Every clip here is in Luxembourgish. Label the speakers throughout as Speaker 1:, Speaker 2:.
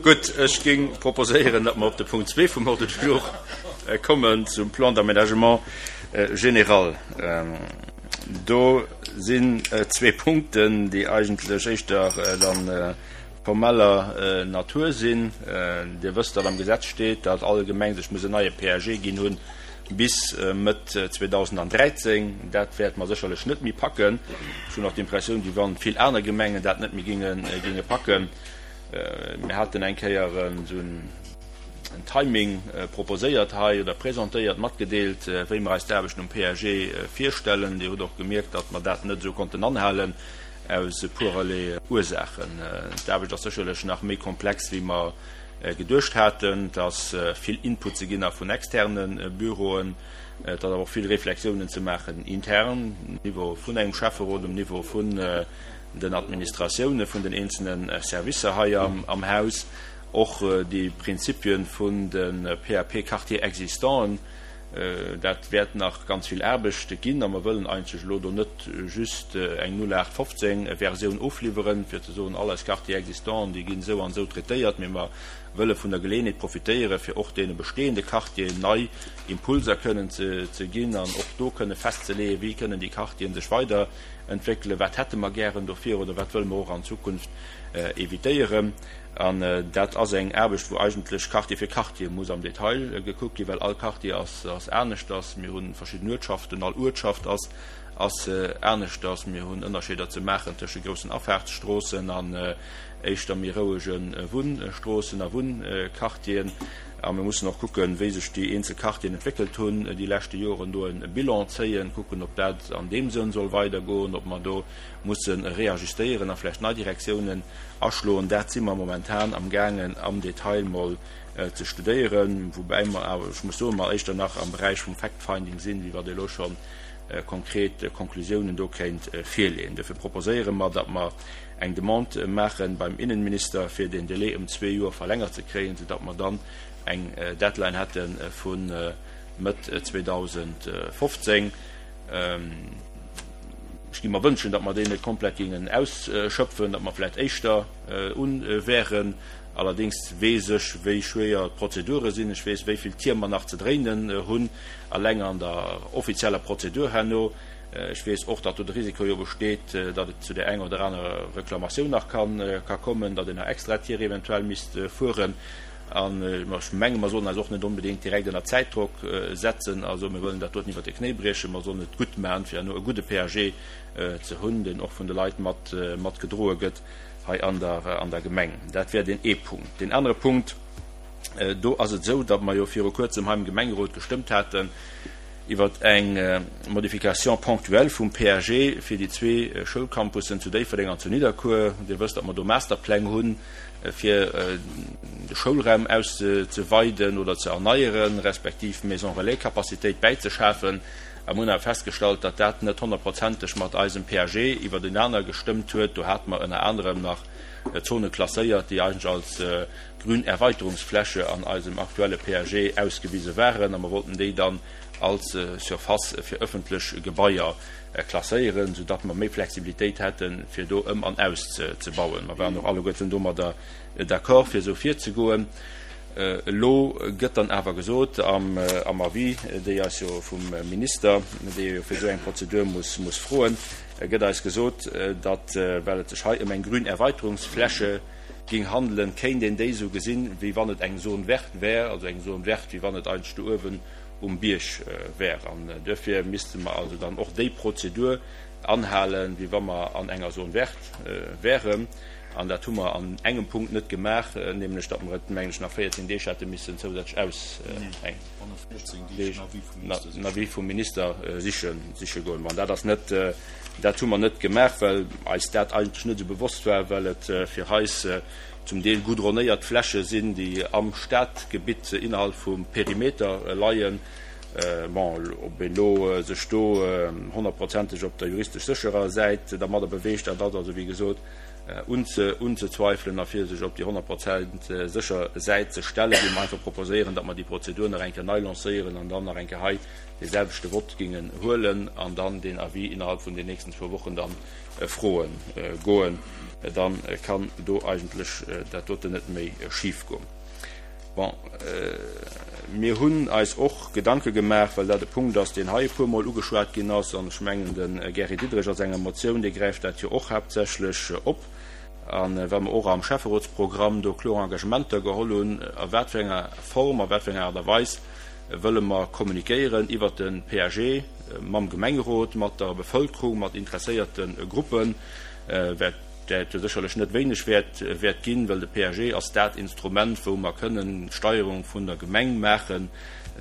Speaker 1: Gutt, ech géing proposéieren, datt mer op de Punkt zwee vum Ordre du jour kommen, zum Plan d'aménagement général. Do sinn zwee Punkten, déi eigentlech éischter dann formeller Natur sinn. Dir wësst, datt am Gesetz steet, datt all Gemeng sech muss en neie PAG ginn hunn bis Mëtt 2013. Dat wäerte mer sécherlech net méi packen. Ech hunn och d'Impressioun, wéi wann vill aner Gemengen dat net méi géinge packen. Mir haten eng Kéier esou en Timing proposéiert hei oder presentéiert, matgedeelt, wéi mer eis d'Aarbechten um PAG virstellen. Dir hutt och gemierkt, datt mer dat net esou konnten anhalen aus e puererlee Ursaachen. D'Aarbecht ass sécherlech nach méi komplex, wéi mer geduecht haten. Et ass vill Input ze ginn nach vun externe Büroen. Et ass awer och vill Reflexiounen ze maachen intern, um Niveau vun engem Schäfferot, um Niveau vun den Administratioune vun den eenzelne Servicer hei am Haus. Och déi Prinzipien vun de PAP-Quartiers existanten, dat wäert nach ganz vill Aarbecht ginn. A mer wëllen eigentlech elo do net just eng 0815 Versioun ofliwweren, fir ze soen, all eis Quartiers existanten, déi ginn esou an esou traitéiert, mee mer wëlle vun der Geleeënheet profitéieren, fir och deene bestehende Quartieren nei Impulser kënnen ze ginn an och do kënne festzeleeën, wéi kënnen déi Quartieren sech weiderentwéckelen, wat hätte mer gären dofir oder wat wëlle mer och an Zukunft évitéieren. An dat ass eng Aarbecht, wou eigentlech Quartier fir Quartier muss am Detail gekuckt ginn, well all Quartier ass aneschters. Mir hu verschidden Uertschaften, all Uertschaft ass aneschters. Mir hunn Ënnerscheeder ze maachen tësche groussen Afaartsstroossen an éischter méi rouege Wunnstroossen a Wunnquartieren. A mir mussen och kucken, wéi sech déi eenzel Quartieren entwéckelt hunn déi leschte Joren, do e Bilan zéien, kucken, ob dat an deem Sënn soll weidergoen, ob mer do musse reajustéieren a vläicht nei Direktiounen aschloen. Dat si mer momentan amgaangen am Detail mol ze studéieren, woubäi mer awer, ech muss soen, mer éischter nach am Beräich vum Fact-finding sinn, wéi wat ee elo scho konkret Konklusiounen do kéint virleeën. Dofir proposéiere mer, datt mer eng Demande maache beim Innenminister, fir deen Délai ëm zwee Joer verlängert ze kréien, soudatt mer dann eng Deadline hätte vu Mëtt 2015. Ech géing mer wënschen, datt mer deen net komplett géingen ausschöpfen, datt mer vläicht éischter un wären. Allerdéngs weess ech, wéi schwéier d'Prozedure sinn. Ech weess, wéi vill Tier mer nach ze dréinen hunn, alleng an der offizieller Prozedur herno. Ech weess och, datt do de Risiko jo besteet, datt et zu där enger oder anerer Reklamatioun nach ka kommen, datt een nach extra Tier eventuell misst fueren. An ech menge mer sollen eis och net onbedéngt direkt ënner Zäitdrock setzen a soen, mir wëllen dat doten iwwert de Knéi briechen. Mer sollen et gutt maachen, fir herno e gudde PAG ze hunn, deen och vun de Leit mat matgedroe gëtt hei an der an der Gemeng. Dat wär deen ee Punkt. Deen anere Punkt, do ass et esou, datt mer jo viru Kuerzem hei am Gemengerot gestëmmt haten iwwer eng Modification ponctuelle vum PAG fir déi zwee Schoulcampussen zu Déifferdeng an zu Nidderkuer. Dir wësst, datt mer do Masterpläng hunn, fir de Schoulraum auszeweiden oder ze erneieren, respektiv Maison relais-Capacitéit bäizeschafen. A mir hunn awer festgestallt, datt dat net honnertprozenteg mat eisem PAG iwwertenaner gestëmmt huet. Do hate mer ënner anerem nach Zone klasséiert, déi eigentlech als grün Erweiterungsfläche an eisem aktuelle PAG ausgewise waren, a mer wollten déi dann als Surface fir ëffentlech Gebaier klasséieren, soudatt mer méi Flexibilitéit hätten, fir do ëm an auszebauen. Mer waren och alleguerten domadder d'accord, fir esou virzegoen. Elo gëtt dann awer gesot am Avis, déi eis jo vum Minister, dee jo fir esou eng Prozedur muss froen, gëtt eis gesot, datt, well et sech hei ëm eng grün Erweiterungsfläche géing handelen, kéint een déi esou gesinn, wéi wann et eng Zone verte wär, also eng Zone verte, wéi wann et eigentlech do uewen um Bierg wär. An duerfir misste mer also dann och déi Prozedur anhalen, wéi wa mer an enger Zone verte wären. An dat hu mer an engem Punkt net gemaach, nämlech datt mer et, mengen ech, nach 14 Deeg hätte missen zousätzlech aus eng Deeg en Avis vum Minister siche siche goen. Bon, dat ass net, dat hu mer net gemaach, well eis dat eigentlech net esou bewosst war, well et fir eis zum Deel goudronnéiert Fläche sinn, déi am Stadgebitt innerhalb vum Perimeter leien. Bon, ob een elo sech do honnertprozenteg op der juristesch sécherer Säit dermadder beweegt, dat ass also, wéi gesot, unzezweifelen. A fir sech op déi 100% sécher Säit ze stellen, géinge mer einfach proposéieren, datt mer déi Prozedur nach eng Kéier nei lancéieren an dann nach eng Kéier hei dee selwechte Vott géingen huelen an dann deen Avis innerhalb vun den nächsten zwou Wochen dann froe goen. Da kann do eigentlech dat doten net méi schif goen. Bon, mir hunn eis och Gedanke gemaach, well dat e Punkt ass, deen hei e puermol ugeschwat ginn ass, an ech mengen, de Gary Diderich a senger Motioun, dee gräift dat jo och haaptsächlech op, a well mer och am Schäfferotsprogramm do kloer Engagementer geholl hunn, a wat fir enger Form, a wat fir enger Aart a Weis wëlle mer kommunikéieren iwwert de PAG mam Gemengerot, mat der Bevëlkerung, mat interesséierte Gruppen, wat dat jo sécherlech net wéineg wäert wäert ginn, well de PAG ass dat Instrument, wou mer kënnen d'Steierung vun der Gemeng maachen,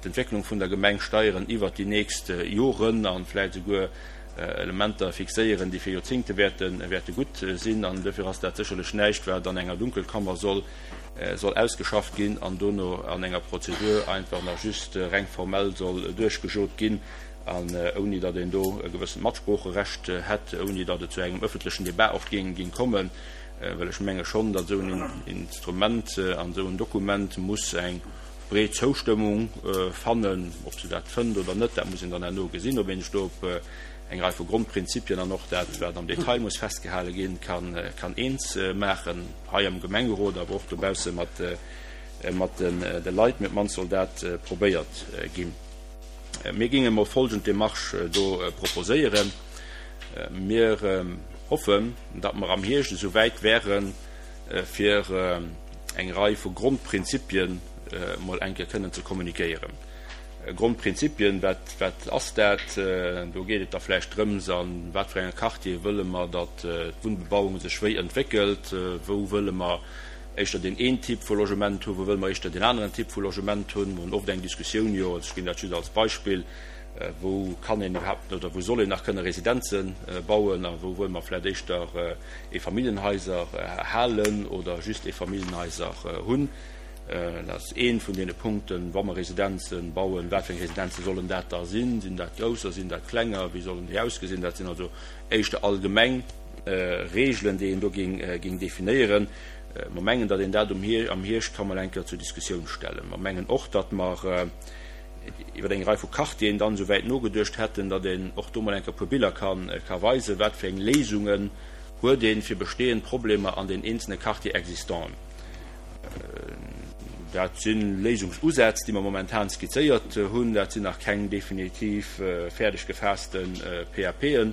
Speaker 1: d'Entwécklung vun der Gemeng steieren iwwert déi nächst Joren a vläicht esouguer Elementer fixéieren, déi fir Joerzingte wäerte wäerte gutt sinn. An duerfir ass dat sécherlech näischt, wat an enger Dunkelkammer soll soll ausgeschafft ginn an dono an enger Prozedur einfach nach just reng formell soll duerchgejot ginn. An ouni datt een do e gewëssent Matsproocherecht hätt, ouni datt et zu engem ëffentlechen Debat och géing kommen, well ech menge schonn, datt esou en Instrument an esou en Dokument muss eng breet Zoustëmmung fannen. Ob se dat fënnt oder net, dat muss een dann herno gesinn, ob een sech do op eng Rei vu Grondprinzipien an och dat, wat am Detail muss festgehale ginn, kann eens maachen, hei am Gemengerot, awer och dobausse mat de Leit. Mee op d'mannst soll dat probéiert ginn. Mir géinge mol folgend Démarche do proposéieren. Mir hoffen, datt mer am Hierscht esou wäit wären, fir eng Rei vu Grondprinzipien mol eng Kéier kënnen ze kommunikéieren. Grondprinzipien, wat, wat ass dat? Do geet et da vläicht drëms, a wat fir enge Quartiere wëlle mer, datt d'Wunnbebauung sech wéi entwéckelt, wou wëlle mer éischter deen een Typ vu Logement hunn, wou wëlle mer éischter deen aneren Typ vu Logement hunn. Mer hunn oft eng Diskussioun, jo, ech ginn dat just als Beispill, wou kann een iwwerhaapt oder wou soll een nach kënne Residenze bauen a wou wëlle mer vläicht éischter Eefamilljenhaiser halen oder just Eefamilljenhaiser hunn. Dat ass ee vun deene Punkten, wa mer Residenze bauen, wat fir eng Residenze sollen dat da sinn? Sinn dat grousser, sinn dat klenger, wéi sollen déi ausgesinn? Dat sinn also éischter allgemeng Regeln, déi een do géing definéieren. Mer mengen, datt een dat am Hierscht ka mol eng Kéier zur Diskussioun stellen. Mer mengen och, datt mer iwwer eng Rei vu Quartieren dann esou wäit nogeduecht hätten, datt een och do mol eng Kéier e puer Biller ka weisen, wat fir eng Léisungen huet ee fir bestehend Problemer an den eenzelne Quartier-existanten. Dat si Léisungsusätz, déi mer momentan skizzéiert hunn. Dat sinn nach keng definitiv fäerdeg gefaasste PAPen.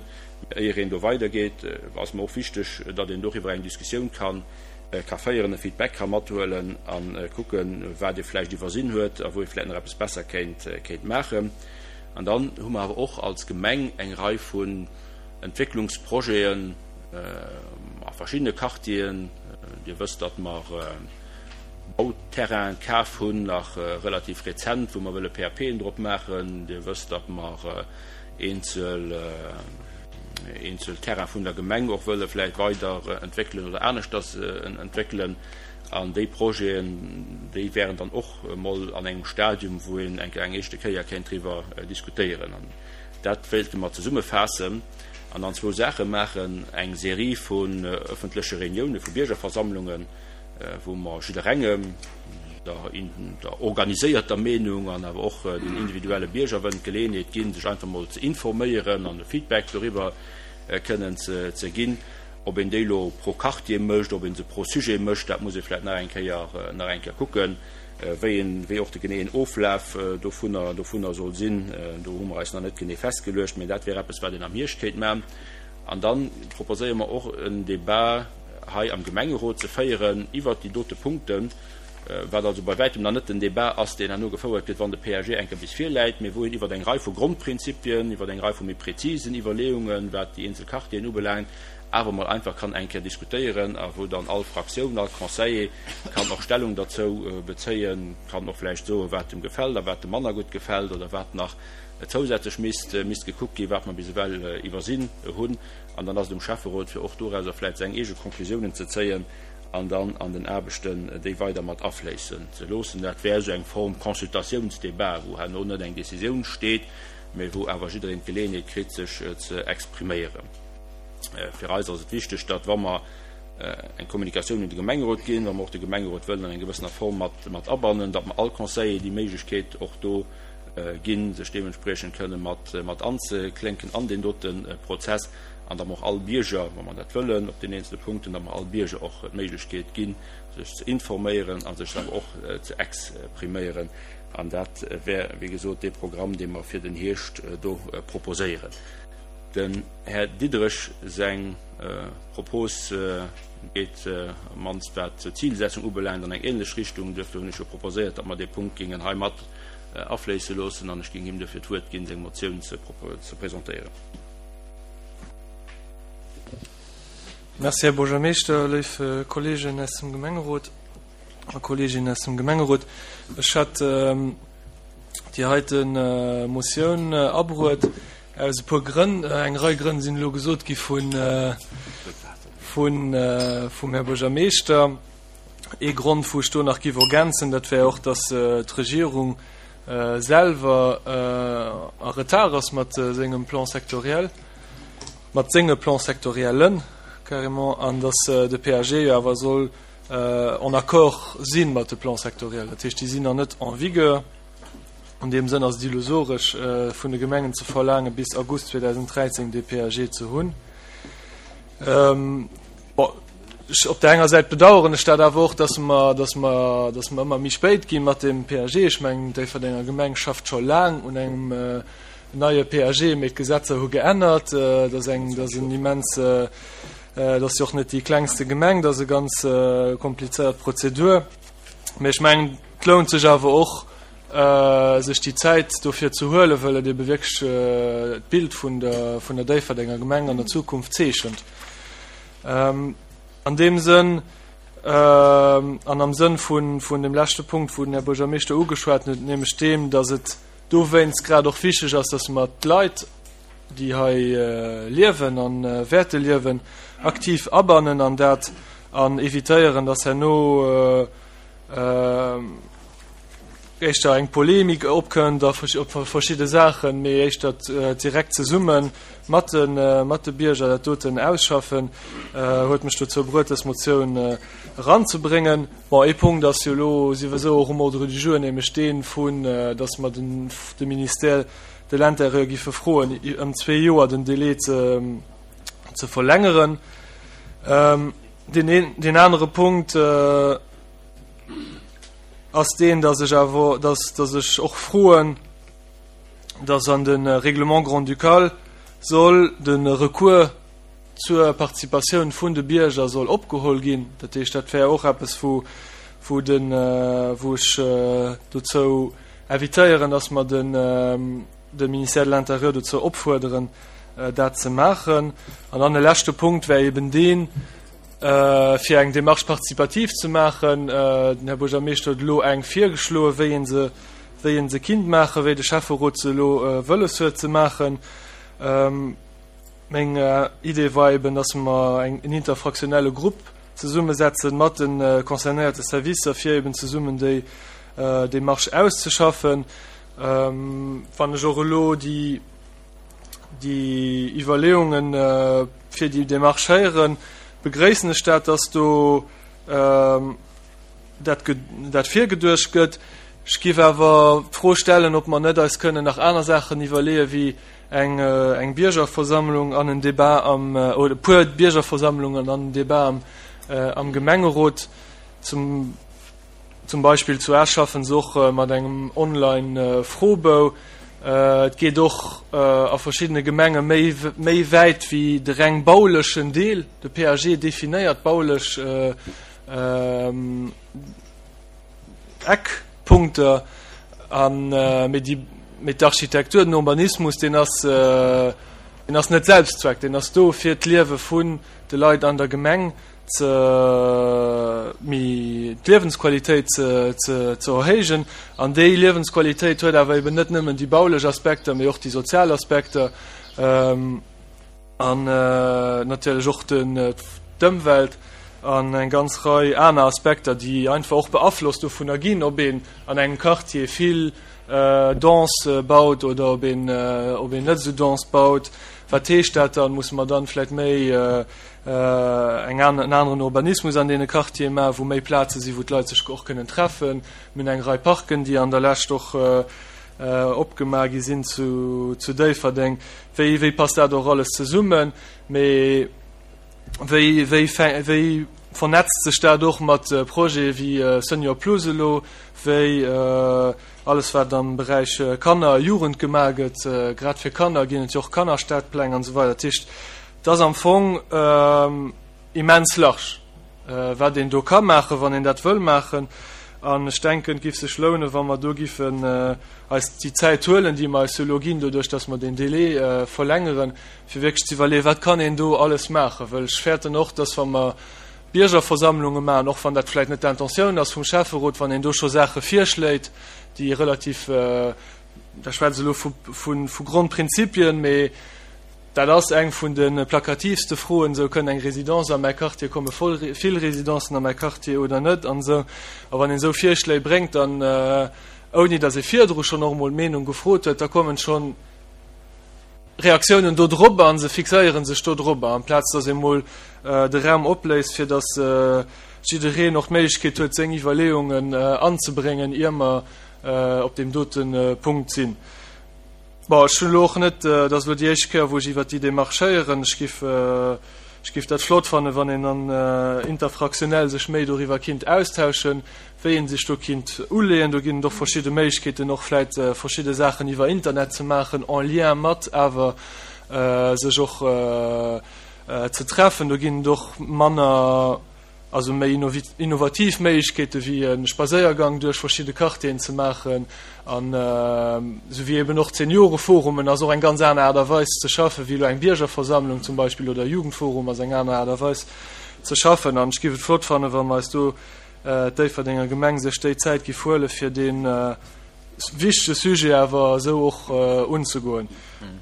Speaker 1: Éier een do weidergeet, ass mer och wichteg, datt een doriwwer eng Diskussioun ka féieren, e Feedback ka mathuelen a kucken, wat ee vläicht iwwersinn huet a wou ee vläicht nach eppes besser kéint maachen. An dann hu mer awer och als Gemeng eng Rei vun Entwécklungsprojeten a verschiddene Quartieren. Dir wësst, datt mer Bauterrainen kaf hunn, nach relativ rezent, wou mer wëlle PAPen drop maachen. Dir wësst, datt mer eenzel eenzel Terrain vun der Gemeng och wëlle vläicht weider entwéckelen oder aneschters entwéckelen. An déi Projeten, déi wären dann och emol an engem Stadium, wou een eng eng éischte Kéier kéint driwwer diskutéieren. An dat wéilte mer zesummefaassen an dann zwou Saache maachen, eng Serie vun öffentleche Reuniounen, vu Biergerversammlungen, wou mer jidderengem, der organiséierter Meenung an awer och den individuelle Bierger wëllen d'Geleeënheet ginn, sech einfach mol ze informéieren an e Feedback doriwwer kënnen ze ginn. Ob een déi elo pro Quartier mécht, ob ee se pro Sujet mécht, dat muss ee vläicht nach eng Kéier, nach eng Kéier kucken, wéi een, wéi och de geneeën Oflaf dovunner, dovunner soll sinn. Do hu mer eis nach net genee festgeluecht, mä dat wär eppes, wat een am Hierscht kéint maachen. An da proposéiere mer och en Débat hei am Gemengerot ze féieren iwwert déi dote Punkten, wat also bei wäitem nach net den Débat ass, deen herno gefouert gëtt, wann de PAG eng Kéier bis virläit, mee wou een iwwert eng Rei vu Grondprinzipien, iwwert eng Rei vu méi prezisen Iwwerleeungen, wat déi eenzel Quartieren ubelaangt, awer emol einfach kann eng Kéier diskutéieren a wou dann all Fraktioun, all Conseiller kann och Stellung derzou bezéien, kann och vläicht soen, wat em gefält a wat em manner gutt gefält oder wat nach zousätzlech misst misst gekuckt ginn, wat mer bis ewell iwwersinn hunn. An dann ass et um Schäfferot, fir och dorauser vläicht seng eege Konklusiounen ze zéien an dann an den Aarbechten déi weider mat afléissen ze loossen. Dat wär esou eng Form Consultatiounsdebat, wou herno net eng Décisioun steet, mä wou awer jiddereen d'Geleeënheet kritt, sech ze expriméieren. Fir eis ass et wichteg, datt, wa mer eng Kommunikatioun un de Gemengerot ginn, wa mer och de Gemengerot wëllen an enger gewëssener Form mat mat abannen, datt mer all Conseiller déi Méiglechkeet och do ginn, sech deementspriechend kënne mat mat anzeklénken an deen dote Prozess. An datt mer och all Bierger, wa mer dat wëllen, op den eenzele Punkten, datt mer all Bierger och d'Méiglechkeet ginn, sech ze informéieren a sech awer och ze expriméieren. An dat wär, wéi gesot, dee Programm, dee mer fir den Hierscht do proposéieren. Dem Här Diderich seng Propos geet, op d'mannst wat d'Zilsetzung ubelaangt, an eng ähnlech Richtung. Duerfir hunn ech jo proposéiert, datt mer dee Punkt géingen hei mat afléisse loossen, an ech géing him duerfir d'Wuert ginn, seng Motioun ze presentéieren.
Speaker 2: Merci, Här Buergermeeschter, léif Kolleegen aus dem Gemengerot a Kolleeginnen aus dem Gemengerot. Ech hat déi heite Motioun abruet aus e puer Grënn. Eng Rei Grënn sinn elo gesot gi vun vum Här Buergermeeschter. Ee Grond, wou ech do nach giff ergänzen, dat wär och, dass d'Regierung selwer a Retard ass mat sengem Plan sectoriel, mat senge Plans sectoriellen carrément, an dass de PAG jo awer soll en accord si mat de Plans sectoriels. Dat heescht, déi sinn nach net en vigueur. An deem Sënn ass et illusoresch, vun de Gemengen ze verlaangen, bis August 2013 dee PAG ze hunn. Bon, ech, op där enger Säit bedauern ech dat awer och, dass mer, dass mer, dass mer ëmmer méi spéit gi mat deem PAG. Ech mengen, d'Déifferdenger Gemeng schafft scho laang un engem neie PAG, mee d'Gesetzer hu geännert. Dat ass eng, dat ass en immens, dat ass jo och net déi klengste Gemeng, dat ass e ganz komplizéiert Prozedur. Mee ech mengen, et lount sech awer och, sech déi Zäit dofir ze huelen, well et ebe wierklech d'Bild vun der, vun der Déifferdenger Gemeng an der Zukunft zeechent. An deem Sënn an am Sënn vun, vun dem leschte Punkt, wou den Här Buergermeeschter ugeschwat huet, nämlech deem, datt et dowéinst grad och wichteg ass, datt mer d'Leit, déi hei liewen a wäerte liewen, aktiv abannen an dat an evitéieren, datt herno éischter eng Polemik opkënnt a op verschidde Saachen, mee éischter direkt zesumme mat de mat de Bierger dat doten ausschaffen, huet mech dozou bruet, dës Motioun eranzebréngen. Bon, ee Punkt ass jo elo souwisou och um Ordre du jour, nämlech dee vun, datt mer den de Ministère de l'Intérieur giffe froen, ëm zwee Joer den Délai ze ze verlängeren. Deen een, deen anere Punkt ass deen, dass ech awer, dass, dass ech och froen, dass an de Règlement grand-ducal soll de Recours zur Participatioun vun de Bierger soll opgeholl ginn. Dat heescht, dat wär och eppes, wou, wou den, wou ech dozou invitéieren, dass mer den, de Ministère de l'Intérieur dozou opfuerderen, dat ze maachen. An dann e leschte Punkt wär eben deen, fir eng Démarche participative ze maachen. Den Här Buergermeeschter huet elo eng virgeschloen, wéi ee se, wéi ee se kinnt maachen, wéi de Schäfferot se elo wëlles huet ze maachen. Meng Idee war eben, dass mer eng, en interfraktionelle Grupp zesummesetzen mat de concernéierte Servicer, fir eben zesummen déi Démarche auszeschaffen. Wann ech och elo déi, déi Iwwerleeungen fir déi Démarche héieren, begréissen ech dat, dass do dat, dat virgeduecht gëtt. Ech géif awer d'Fro stellen, ob mer net eis kënnen nach aner Saachen iwwerleeën, wéi eng, eng Biergerversammlung an en Débat am, oder e puer Biergerversammlungen an en Débat am, am Gemengerot. Zum. Zum Beispill zu Esch schaffen se och mat engem Online-Froebou. Et geet och a verschiddene Gemenge méi méi wäit wéi de reng baulechen Deel. De PAG definéiert baulech Eckpunkter, an mee déi mee d'Architektur, den Urbanismus, deen ass deen ass net Selbstzweck, deen ass do fir d'Liewe vun de Leit an der Gemeng ze méi d'Liewensqualitéit ze ze ze erhéijen. An déi Liewensqualitéit huet awer eben net nëmmen déi baulech Aspekter, mee och déi sozial Aspekter an natierlech och den d'Ëmwelt an eng ganz Rei aner Aspekter, déi einfach och beaflosst dovunner ginn, ob een an engem Quartier vill dense baut oder ob een ob een net esou dense baut. Wat heescht dat dann? Musse mer dann vläicht méi eng an, en aneren Urbanismus an deene Quartiere maachen, wou méi Plaze sinn, wou d'Leit sech och kënnen treffen. Mir hunn eng Rei Parken, déi an der Lescht och. opgemaach gi sinn zu Déifferdeng. Wéi, wéi passt dat och alles zesummen? Mee wéi, wéi, wéi vernetzt sech dat och mat Projete wéi Senior Plus elo, wéi alles wat am Beräich Kanner a Jugend gemaach gëtt? Grad fir Kanner ginn et jo och Kannerstadpläng an esou weider. Dat heescht, et ass am Fong immens large, wat een do ka maachen, wann een dat wëll maachen. An ech denken, et géif sech lounen, wa mer do giffen eis déi Zäit huelen, déi mer eis jo elo ginn, doduerch datt mer deen Délai verlängeren, fir wierklech ze iwwerleeën, wat kann een do alles maachen. Well ech fäerten och, datt wa mer Biergerversammlunge maachen, och wann dat vläicht net d'Intentioun ass vum Schäfferot, wann een do scho Saache virschléit, déi relativ, da schwätze ech elo vu Grondprinzipien, mee Dat ass eng vun de plakativste Froen, esou, Kënnt eng Résidence a mäi Quartier, komme voll vill Résidencen a mäi Quartier oder net an esou. A wann een esou Virschléi bréngt, dann, ouni datt ee virdru schonn och emol d'Meenung gefrot huet, da kommen schonn Reaktiounen do drop a se fixéiere sech do drop, amplaz datt ee mol de Raum opléisst, fir datt jiddereen och d'Méiglechkeet huet, seng Iwwerleeungen anzebréngen, ier mer op deem dote Punkt sinn. Bon, ech hunn elo och net, dat ass elo déi éischt Kéier, wou ech iwwert déi Démarche héieren. Ech giff, ech giff dat flott fannen, wann een dann interfraktionell sech méi doriwwer kinnt austauschen, wéi ee sech do kinnt uleeën. Do ginn et och verschidde Méiglechkeeten, och vläit verschidde Saachen iwwer Internet ze maachen, en lien mat awer sech och ze treffen. Do ginn et och manner. Also méi innovativ Méiglechkeete wéi e Spadséiergang duerch verschidde Quartieren ze maachen an esou wéi eben och d'Senioreforumen ass och eng ganz aner Aart a Weis ze schaffen, wéi elo eng Biergerversammlung zum Beispill oder e Jugendforum ass eng aner Aart a Weis ze schaffen. An ech géif et flott fannen, wa mer eis do, d'Déifferdenger Gemeng sech déi Zäit géif huele fir dee wichtege Sujet awer esou och unzegoen.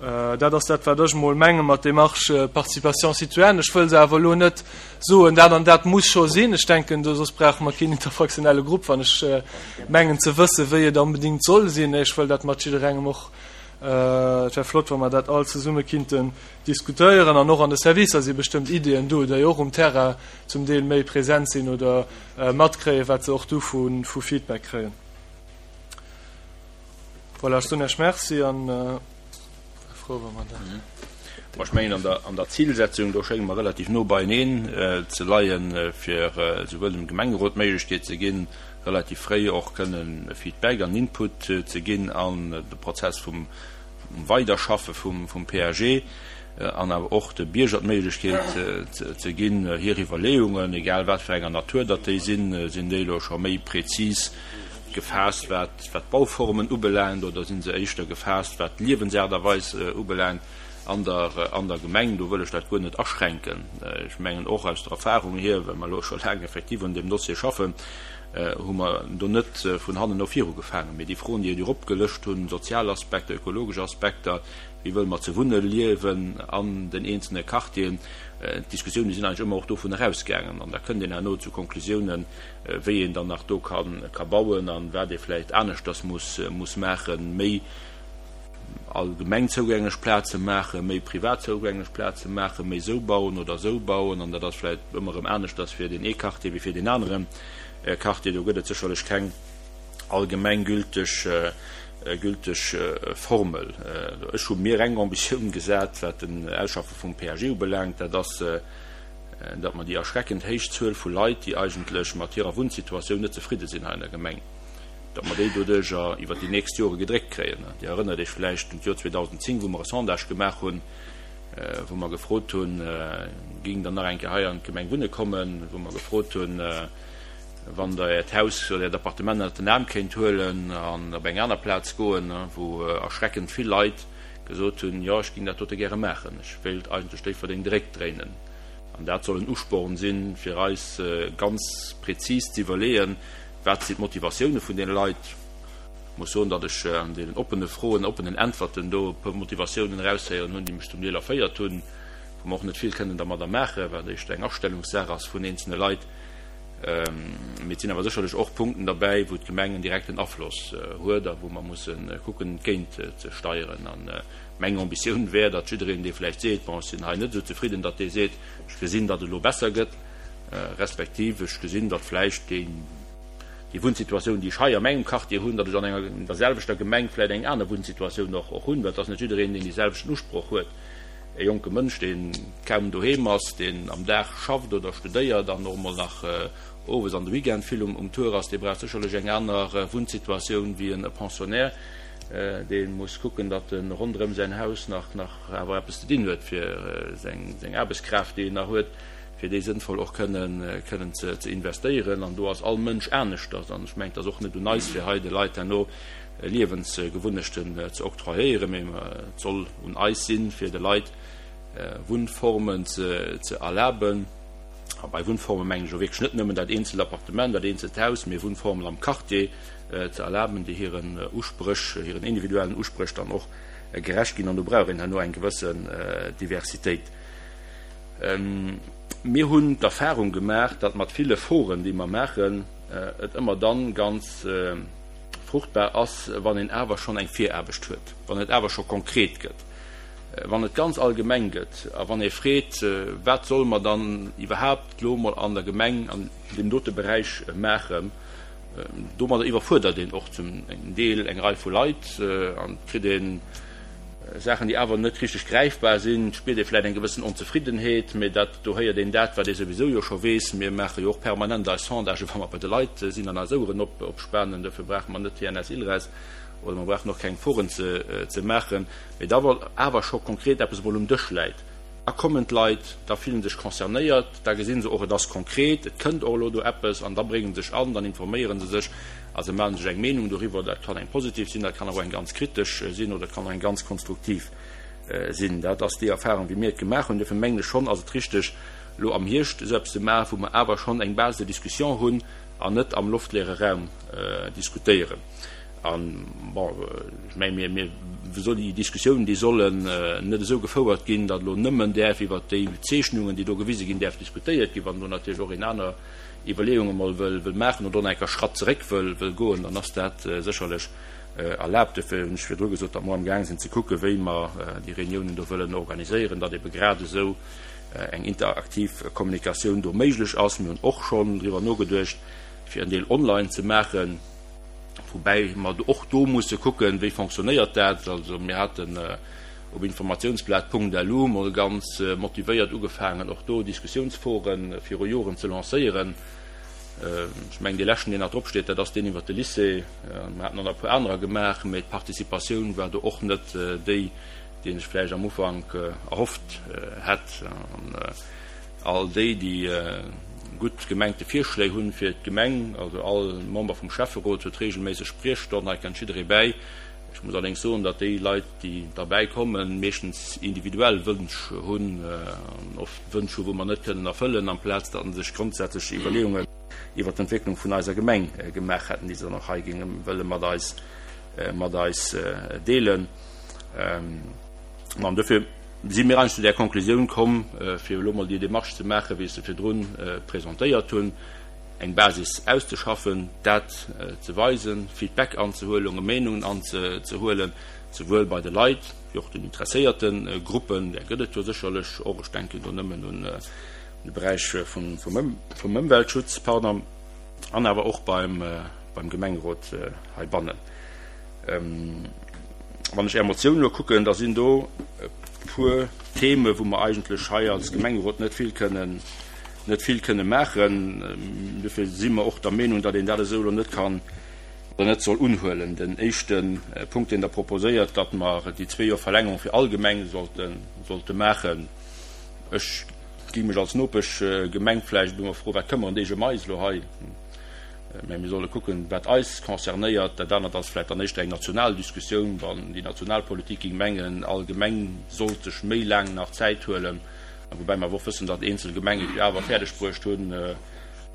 Speaker 2: Dat ass dat, wat ech emol menge mat Démarche Participation citoyenne. Ech wëll se awer elo net soen, dat an dat muss scho sinn. Ech denken, do soss brauche mer keen interfraktionelle Grupp, wann ech mengen ze wëssen, wéi et onbedéngt soll sinn. Ech wëll dat mat jidderengem och, et wär flott, wa mer dat all zesumme kinnten diskutéieren. An och an de Servicer si bestëmmt Ideeën do, déi och um Terrain zum Deel méi present sinn oder matkréien, wat se och du vu Feedback kréien. Voilà, ech soen Iech Merci an wär frou, wa mer dat.
Speaker 1: Bon, ech mengen, an der, an der Zilsetzung, do schénge mer relativ no beieneen ze leien, fir souwuel dem Gemengerot d'Méiglechkeet ze ginn, relativ fréi och kënnen Feedback an Input ze ginn an de Prozess vum Weiderschaffe vum PAG an awer och de Bierger d'Méiglechkeet ze ginn, hir Iwwerleeungen, egal wat fir enger Natur datt déi sinn, sinn déi elo scho méi prezis gefaasst, wat d'Bauformen ubelaangt, oder si se éischter gefaasst, wat d'Liewensaart a Weis ubelaangt an der Gemeng. Do wëll ech dat guer net aschränken. Ech mengen och aus der Erfahrung hier, well mer elo scho laang effektiv un deem Dossier schaffen, hu mer do net vun hannen no viru gefaangen, mee déi Froen, déi Dir opgelëscht hunn, sozial Aspekter, ökologesch Aspekter, wéi wëlle mer ze wunne liewen an den eenzelne Quartieren, d'Diskussiounen sinn eigentlech ëmmer och dovun erausgaangen. An da kënnt een herno zu Konklusiounen, wéi een dann nach do ka bauen a wat ee vläicht aneschters muss maachen, méi allgemeng zougänglech Plaze maachen, méi privat zougänglech Plaze maachen, méi esou bauen oder esou bauen. An dat ass vläicht ëmmer erëm aneschters fir deen ee Quartier wéi fir deen anere Quartier. Do gëtt et sécherlech keng allgemeng gülteg, gülteg Formel. Ech hu mir eng Ambitioun gesat, wat den Ausschaffe vum PAG ubelaangt, dat ass, datt mer déi erschreckend héich Zuel vu Leit, déi eigentlech mat hirer Wunnsituatioun net zefridde sinn hei an der Gemeng, datt mer déi doduerjer iwwert déi nächst Jore gedréckt kréien. Dir erënnert Iech vläicht un d'Joer 2010, wou mer e Sondage gemaach hunn, wou mer gefrot hunn, Géingt Der nach eng Kéier hei an d'Gemeng wunne kommen? Wou mer gefrot hunn, Wann Der Äert Haus oder Äert Appartement ënnert den Aarm kéint huelen an op eng aner Plaz goen, wou erschreckend vill Leit gesot hunn, Jo, ech géing dat dote gäre maachen, ech wéilt eigentlech Déifferdeng de Réck dréinen. An dat soll en Usporn sinn, fir eis ganz prezis ze iwwerleeën, Wat sinn d'Motivatioune vun deene Leit? Ech muss soen, datt ech an deenen oppene Froen, oppenen Äntwerten do e puer Motivatiounen eraushéieren hunn, déi mech zum Deel erféiert hunn, wou mer och net vill kënnen dermadder maachen, wat éischter eng Astellungssaach ass vun eenzelne Leit. Mee et sinn awer sécherlech och Punkten derbäi, wou d'Gemeng en direkten Afloss huet a wou mer musse kucken, entgéint ze steieren. A meng Ambitioun wär, datt jiddereen, dee vläicht seet, Bon, ech sinn hei net esou zefridden, datt dee seet, Ech gesinn, datt et elo besser gëtt. Respektiv ech gesinn, datt vläicht deen. Déi Wunnsituatioun, déi ech hei a mengem Quartier hunn, datt ech an enger, an der selwechter Gemeng vläicht eng aner Wunnsituatioun och, och hunn, well et ass net jiddereen, deen dee selwechten Usproch huet. E jonke Mënsch, dee kaum doheem ass, deen am Dag schafft oder studéiert an och emol nach owes an de Weekend vill um Tour ass, dee brauch sécherlech eng aner Wunnsituatioun wéi e Pensionnaire, dee muss kucken, datt e ronderëm säin Haus nach awer eppes ze dinn huet, fir seng Aarbechtskraaft, déi en nach huet, fir déi sënnvoll och kënnen ze investéieren. An do ass all Mënsch aneschters. An ech mengen, et ass och net un eis, fir hei de Leit herno Liewensgewunnechten ze octroyéieren, mee et soll un eis sinn, fir de Leit Wunnformen ze erlaben. A bei Wunnforme mengen ech elo wierklech net nëmmen dat eenzelt Appartement, dat eenzelt Haus, mee Wunnformen am Quartier ze erlaben, déi hiren Uspréch, hiren individuellen Uspréch dann och gerecht ginn. An do brauch een herno eng gewëssen Diversitéit. Mir hunn d'Erfahrung gemaach, datt mat ville Foren, déi mer maachen, et ëmmer dann ganz fruchtbar ass, wann een awer schonn eng Viraarbecht huet, wann et awer scho konkret gëtt. Wann et ganz allgemeng gëtt a wann ee freet, wat solle mer dann iwwerhaapt elo emol an der Gemeng an deem dote Beräich maachen, domadder iwwerfuerdert een och zum Deel eng Rei vu Leit an et kritt ee Saachen, déi awer net richteg gräifbar sinn. Et spiert ee vläicht eng gewëssen Onzefriddenheet, mee dat, do héiert een dat, wat ee souwisou jo scho weess. Mir maache jo och permanent eis Sondagen, wa mer bei de Leit sinn an eis Oueren opspanen. Dofir brauche mer net TNS-ILReS oder mer brauchen och keng Foren ze maachen. Mee da wa awer scho konkret eppes emol um Dësch läit, da kommen d'Leit, da fillen sech concernéiert, da gesinn se och, et ass konkret, et kënnt och elo do eppes an da bréngen se sech an, dann informéiere se sech a se maache sech eng Meenung doriwwer. Dat kann eng positiv sinn, dat kann awer och eng ganz kritesch sinn oder et kann och eng ganz konstruktiv sinn. Dat ass déi Erfahrung, wéi mir et gemaach hunn. Duerfir mengen ech schonn, ass et richteg, elo am Hierscht esou eppes ze maachen, wou mer awer schonn eng Base de discussion hunn an net am loftleere Raum diskutéieren. An, bon, ech mengen, mir, mir soll déi Diskussiounen, déi sollen net esou gefouert ginn, datt elo nëmmen däerf iwwert déi Zeechnungen, déi do gewise ginn, däerf diskutéiert ginn. Wann do natierlech och een aner Iwwerleeunge mol wëll, wëll maachen oder och nach eng Kéier Schratt zeréck wëll, wëll goen, dann ass dat sécherlech erlaabt. Dofir hunn ech virdru gesot, datt mer amgaang sinn ze kucken, wéi mer déi Reuniounen do wëllen organiséieren, datt ebe grad esou eng interaktiv Kommunikatioun do méiglech ass. Mir hunn och schonn driwwer nogeduecht, fir en Deel online ze maachen. Woubäi mer och do musse kucken, wéi fonctionnéiert dat. Also mir haten op informationsblat.lu mol ganz motivéiert ugefaangen, och do Diskussionsforen viru Joren ze lancéieren. Ech mengen, dee leschten, deen nach drop steet, dat ass deen iwwert de Lycée. Mir haten och nach e puer anerer gemaach, mee d'Participatioun war do och net déi, déi een sech vläicht am Ufank erhofft hätt. All déi, déi gutt gemengte Virschléi hunn fir d'Gemeng, also all Member vum Schäfferot huet regelméisseg Spriechstonn, hei kennt jidderee bäi. Ech muss allerdéngs soen, datt déi Leit, déi derbäi kommen, meeschtens individuell Wënsch hunn an oft Wënsch hu wou mer net kënnen erfëllen, amplaz datt se sech grondsätzlech Iwwerleeungen iwwert d'Entwécklung vun eiser Gemeng gemaach hätten, déi se dann och hei géinge wëlle mat eis mat eis deelen. An dofir si mir eigentlech zu där Konklusioun komm, fir elo mol déi Démarche ze maachen, wéi ech se virdrun presentéiert hunn, eng Basis auszeschaffen, dat ze weisen, Feedback anzehuelen, Meenungen anzehuelen, souwuel bei de Leit wéi och den interesséierte Gruppen, där gëtt et jo sécherlech och, ech denken do nëmmen un de Beräich vum Ëmweltschutz, pardon, an awer och beim Gemengerot heibannen. Wann ech Är Motioun elo kucken, da sinn do e puer Theme wou mer eigentlech hei als Gemengerot net vill kënnen, net vill kënne maachen. Dofir si mer och der Meenung, datt een dat esou elo net kann oder net soll unhuelen. Den éischte Punkt, deen Der proposéiert, datt mer déi zwee Joer Verlängerung fir all Gemeng sollte, sollte maachen. Ech géing mech als Nopeschgemeng vläicht elo mol froen, wat këmmeren déi sech ëm eis elo hei? Mä mir solle kucken, wat eis concernéiert. Dat anert ass vläicht dann éischter eng national Diskussioun, wann déi national Politik géing mengen, all Gemeng sollt sech méi laang nach Zäit huelen, woubäi mer awer och wëssen, datt eenzel Gemengen et jo awer fäerdeg bruecht hunn,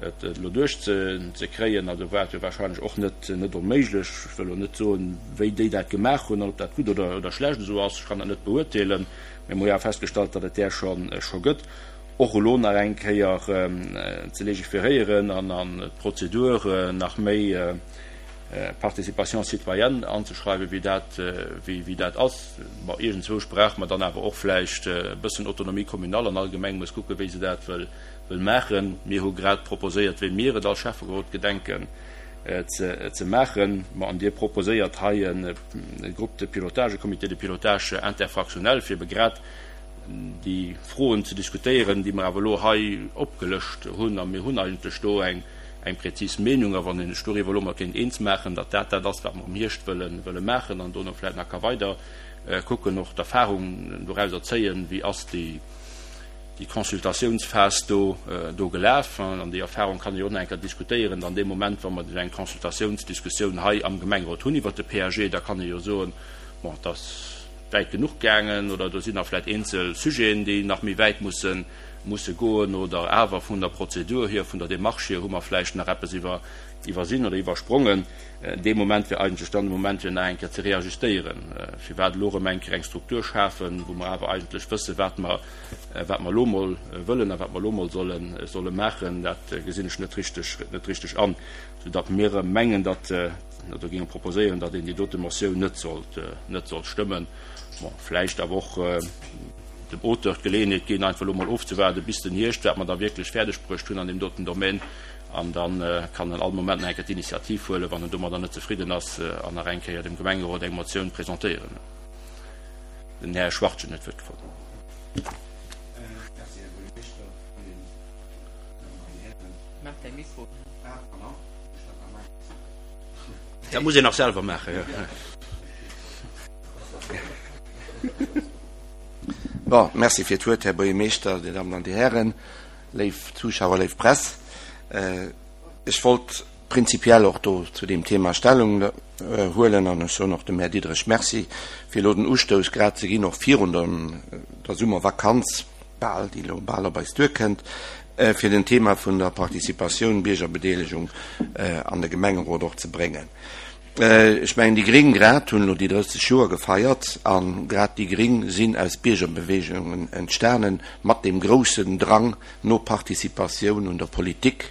Speaker 1: et elo duerchzekréien. Also war et jo wahrscheinlech och net net onméiglech. Ech wëll elo net soen, wéi déi dat gemaach hunn an ob dat gutt oder oder schlecht esou ass. Ech kann dat net beurteelen. Mä mer hu jo awer festgestallt, datt et där scho scho gëtt. och elo nach eng Kéier ze legiferéieren an an d'Prozedur nach méi Participation citoyenne anzeschreiwen, wéi dat, wéi dat ass. Bon, iergendzwousch brauche mer dann awer och vläicht e bëssen Autonomie communale an all Gemeng muss kucken, wéi se dat wëll, wëll maachen. Mir hu grad proposéiert, wéi mir et als Schäfferot gedenken. ze maachen. Ma an Dir proposéiert hei e Groupe de pilotage, e Comité de pilotage interfractionnel, fir ebe grad déi Froen ze diskutéieren, déi mer awer elo hei opgelëscht hunn. A mir hunn eigentlech do eng prezis Meenung. A wann een sech doriwwer elo mol kéint eens maachen, datt dat dat ass, wat mer am Hierscht wëlle maachen, an dono vläicht nach ka weider kucken, och d'Erfahrung dorauser zéien, wéi ass déi Consultatiounsphas do do gelaf. An déi Erfahrung kann ee jo och nach eng Kéier diskutéieren dann dee Moment, wa mer eng Consultatiounsdiskussioun hei am Gemengerot hunn iwwert de PAG, da kann ee jo soen, bon, et ass wäit genuch gaangen oder do sinn nach vläicht eenzel Sujeten, déi nach méi wäit musse musse goen oder awer vun der Prozedur hier, vun der Démarche hier hu mer vläicht nach eppes iwwer iwwersinn oder iwwersprongen. Dee Moment wär eigentlech dann de Moment, fir nach eng Kéier ze reajustéieren. Firwat elo erëm eng Kéier eng Struktur schafen, wou mer awer eigentlech wëssen, wat mer, wat mer elo emol wëllen a wat mer elo emol solle, solle maachen, dat gesinn ech net richteg, net richteg an, soudatt mir erëm mengen, datt, oder géinge proposéieren, datt een déi dote Motioun net sollt, net sollt stëmmen. Bon, vläicht awer och dem Auteur d'Geleeënheet ginn, einfach elo emol ofzewaarden bis den Hierscht, wat mer da wierklech fäerdegbruecht hunn an deem doten Domaine. An da kann en all Moment nach eng Kéier d'Initiativ huelen, wann en domadder net zefridden ass, an nach eng Kéier dem Gemengerot eng Motioun presentéieren. Den Här Schwachtgen huet d'Wuert gefrot. Dat muss een nach selwer maachen, jo.
Speaker 3: Bon, merci fir d'Wuert, Här Buergermeeschter, Dir Dammen an Dir Hären. Léif Zuschauer, léif Press, ech wollt prinzipiell och do zu deem Thema Stellung huelen an ech soen och dem Här Diderich Merci, fir elo den Ustouss grad ze ginn, och virun der Summervakanz bal, déi elo bal op eis duerkënnt, fir den Thema vun der Participatioun, Biergerbedeelegung an de Gemengerot och ze bréngen. Ech mengen, déi Gring grad hunn elo déi 30 Joer gefeiert a grad déi Gring sinn aus Biergerbewegungen entstanen, mat deem groussen Drang no Participatioun un der Politik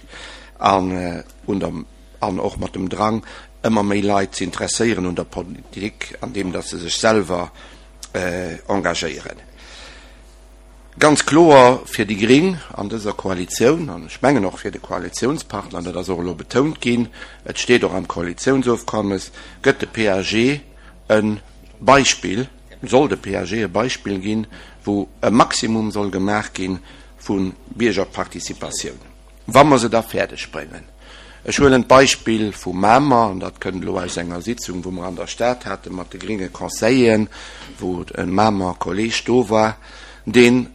Speaker 3: an un der an och mat dem Drang, ëmmer méi Leit ze interesséieren un der Politik, andeem datt se sech selwer engagéieren. Ganz kloer fir déi Gring an dëser Koalitioun, an ech mengen och fir de Koalitiounspartner, dat ass och elo betount ginn, et steet och am Koalitiounsofkommes, gëtt de PAG e Beispill, soll de PAG e Beispill ginn, wou e Maximum soll gemaach gi vu Biergerparticipatioun, wa mer se da fäerdeg bréngen. Ech huelen d'Beispill vu Mamer, an dat kënnt elo aus enger Sitzung, wou mer an der Stad hate mat de gringe Conseilleren, wou e Mamer Kolleg do war, dee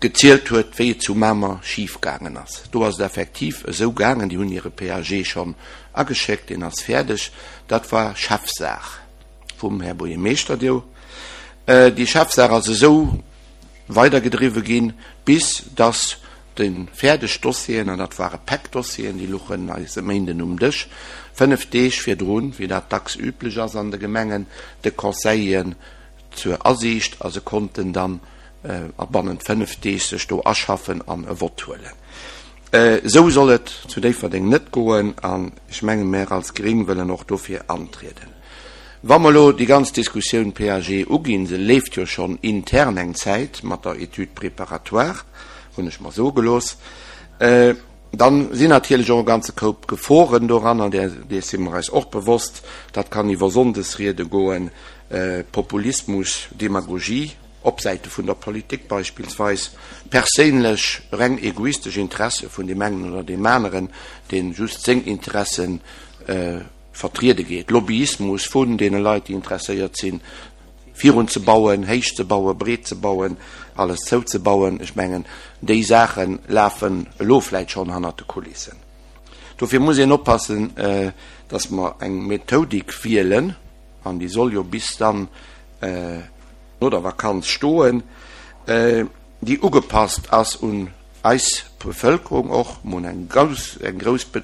Speaker 3: gezielt huet, wéi et zu Mamer schif gaangen ass. Do ass et effektiv esou gaangen, déi hunn hire PAG schonn ageschéckt, deen ass fäerdeg, dat war Chefsaach vum Här Buergermeeschter do. Déi Chefsaach ass esou weidergedriwwe ginn, bis dass déi fäerdeg Dossieren, an dat ware Päck Dossieren, déi luchen eis e Méinden um Dësch, 5 Deeg virdrun, wéi dat dacks üblech ass an de Gemengen, de Conseilleren zur Asiicht a se konnten dann a bannent 5 Deeg sech do aschaffen an e Vott huelen. Esou soll et zu Déifferdeng net goen an ech menge mär als Gring wëllen och dofir antrieden. Wa mer elo déi ganz Diskussioun PAG uginn, se leeft jo schonn intern eng Zäit mat der Étude préparatoire, hunn ech mer soe gelooss, dann sinn natierlech och e ganze Koup Geforen doranner, dees si mer eis och bewosst. Dat kann iwwer Sonndesriede goen, Populismus, Demagogie op Säite vun der Politik beispillsweis, perséinlech, reng egoistesch Interesse vun deem engen oder deem aneren, dee just seng Interessen vertriede geet, Lobbyismus vun deene Leit, déi interesséiert sinn, virun ze bauen, héich ze bauen, breet ze bauen, alles zouzebauen. Ech mengen, déi Saache lafen elo vläit schonn hannert de Kulissen. Dofir muss een oppassen, dass mer eng Methodik wielen, an déi soll jo bis dann no der Vakanz stoen, déi ugepasst ass un eis Bevëlkerung och. Mer hunn eng grouss, eng grouss, e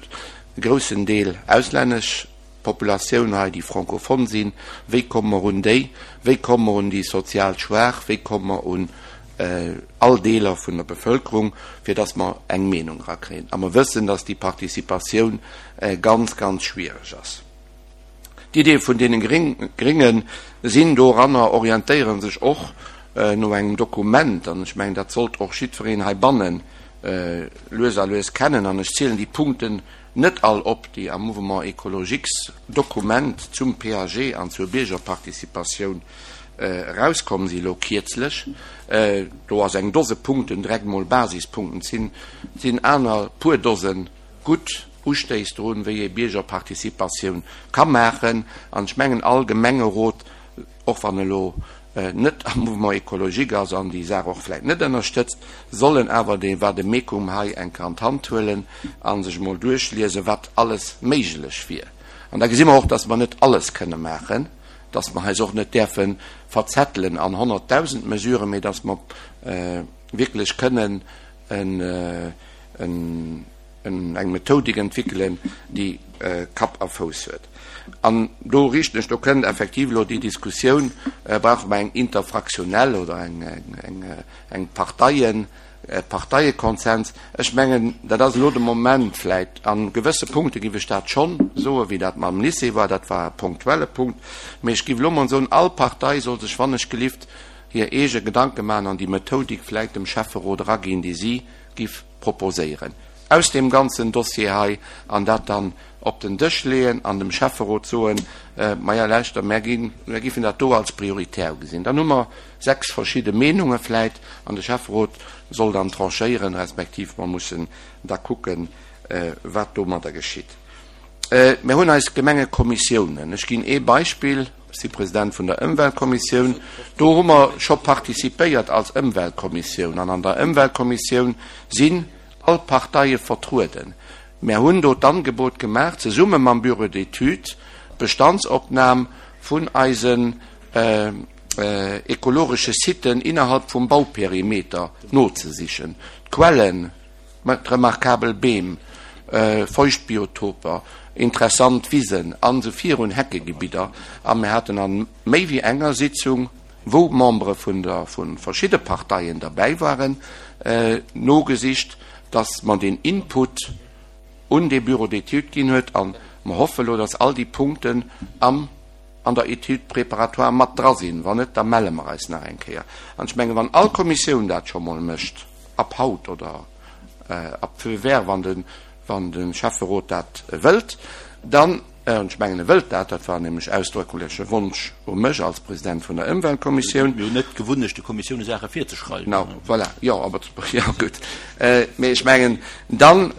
Speaker 3: groussen Deel auslännesch Populatioun hei, déi francophone sinn. Wéi komme mer un déi? Wéi komme mer un déi sozial Schwaach? Wéi komme mer un all Deeler vun der Bevëlkerung, fir dass mer eng Meenung erakréien? A mer wëssen, dass déi Participatioun ganz, ganz schwierig ass. D'Iddie vun deene Grénge sinn doranner, orientéiere sech och no engem Dokument, an ech mengen, dat sollt och jiddwereen heibanne lues a lues kennen, an ech zielen déi Punkten net all op déi am Mouvement écologiques Dokument zum PAG an zur Biergerparticipatioun erauskomm si elo kierzlech. Do ass eng Dose Punkten, direkt mol Basispunkten, et sinn aner puer Dose gutt Ustéiss drun, wéi ee Biergerparticipatioun ka maachen. An ech mengen, all Gemengerot, och wann elo net am Mouvement écologique ass an déi Saach och vläicht net ënnerstëtzt, sollen awer dee Vademecum hei eng Kéier an d'Hand huelen a sech emol duerchliesen, wat alles méiglech wier. An da gesi mer och, dass mer net alles kënne maachen, dass mer eis och net däerfe verzettelen an 100.000 Mesuren, mee dass mer wierklech kënnen en eng Methodik entwéckelen, déi Kapp a Fouss huet. An do riichten ech, do kënnt effektiv elo déi Diskussioun, brauche mer eng interfraktionell oder eng Parteien, e Parteiekonsens? Ech mengen, dat ass elo de Moment vläicht, a gewësse Punkte giff ech dat schonn soen, wéi dat mam Lycée war, dat war e punktuelle Punkt, mee ech giff elo emol soen, all Partei soll sech wannechgelift hir eege Gedanke maachen an déi Methodik vläicht dem Schäfferot eraginn, déi si giff proposéieren aus deem ganzen Dossier hei an dat dann op den Dësch leeën an dem Schäfferot soen, Maja lauschter, mär ginn, mär giffen dat do als prioritär ugesinn. Dann hu mer 6 verschidde Meenunge vläit an de Schäfferot soll dann tranchéieren, respektiv mer mussen da kucken, wat domadder geschitt. Mir hunn eis Gemengekommissiounen. Ech ginn ee Beispill, Ech si President vun der Ëmweltkommissioun. Do hu mer scho participéiert als Ëmweltkommissioun. An an der Ëmweltkommissioun sinn all d'Parteie vertrueden. Mär hunn do d'Angebot gemaach, zesumme mam Bureau d'études d'Bestandsopnam vun eisen ekologesche Siten innerhalb vum Bauperimeter nozesichen, d'Quellen, Remarkabel Beem, Feuchtbiotoper, interessant Wisen an esou virun, Heckegebidder. A mir haten a méi wéi enger Sitzung, wou Membere vun der, vu verschidde Parteien derbäi waren, nogesicht, dass mer deen Input un dee Bureau d'études ginn huet. A mer hoffe lo, dass all déi Punkten am an der Étude préparatoire mat dra sinn. Wann net, da melle mer eis nach eng Kéier. An ech mengen, wann all Kommissioun dat scho mol mécht, ab haut oder ab feu vert, wann de, wann de Schäfferot dat wëllt, dann, an ech mengen, e wëllt dat, dat war nämlech ausdrücklech e Wonsch u mech als President vun der Ëmweltkommissioun.
Speaker 1: Mir hunn net d'Gewunnecht, de Kommissioune Saache virzeschreiwen.
Speaker 3: Genau, voilà, jo, aber, jo, gutt. Mee ech mengen, dann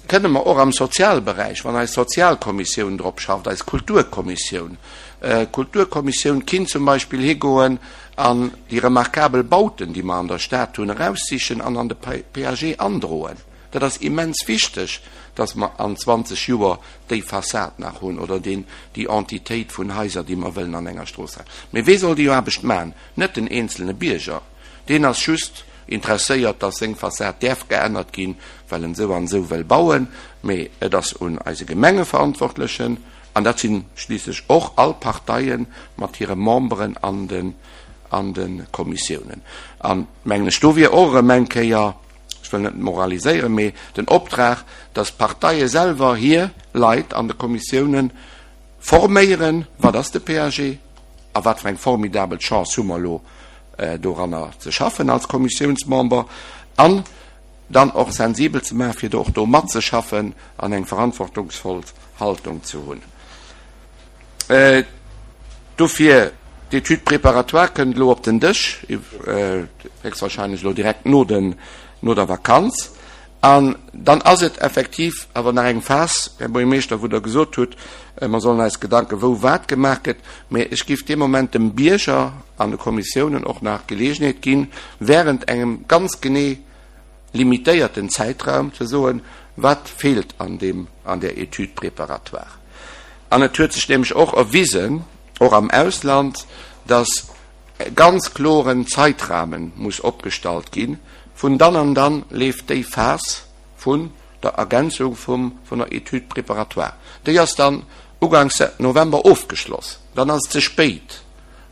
Speaker 3: kënne mer och am Sozialberäich, wann eis Sozialkommissioun drop schafft, eis Kulturkommissioun, d'Kulturkommissioun kinnt zum Beispill higoen an déi remarkabel Bauten, déi mer an der Stad hunn, eraussichen an an de PAG androen. Dat ass immens wichteg, dass mer an 20 Joer déi Fassad nach hunn oder deen, déi Entitéit vun Haiser, déi mer wëllen an enger Strooss halen. Mee wee soll déi Aarbecht maachen? Net den eenzelne Bierger. Deen ass just interesséiert, dass seng Fassad däerf geännert ginn, well en esou an esou wëll bauen. Mee et ass un eise Gemengeverantwortlechen, An dat si schliisslech och all Parteie mat hire Memberen an den, an de Kommissiounen. An, mengen ech, do wier och erëm eng Kéier, ech wëll net moraliséieren, mee den Optrag, dass d'Parteie selwer hir Leit an de Kommissiounen forméieren, Wat ass de PAG a wat fir eng formidabel Chance hu mer elo doranner ze schaffen als Kommissiounsmember? An dann och sensibel ze maachen, fir do och do matzeschaffen an eng verantwortungsvoll Haltung ze hunn. Dofir, d'Étude préparatoire kënnt elo op den Dësch, héchstwahrscheinlech elo direkt no den, no der Vakanz. An dann ass et effektiv awer nach eng Phas, Här Buergermeeschter, wou Der gesot hutt, mer sollen eis Gedanken, wou wat gemaach gëtt. Mä ech géif dee Moment dem Bierger an de Kommissiounen och nach d'Geleegenheet ginn, während engem ganz genee limitéierten Zäitraum ze soen, wat feelt an deem, an där Étude préparatoire. An et huet sech nämlech och erwisen, och am Ausland, dass e ganz kloren Zeitrahmen muss opgestallt ginn, vun dann an dann leeft déi Phas vun der Ergänzung vum, vun der Étude préparatoire. Déi ass dann uganks November ofgeschloss. Dann ass et ze spéit.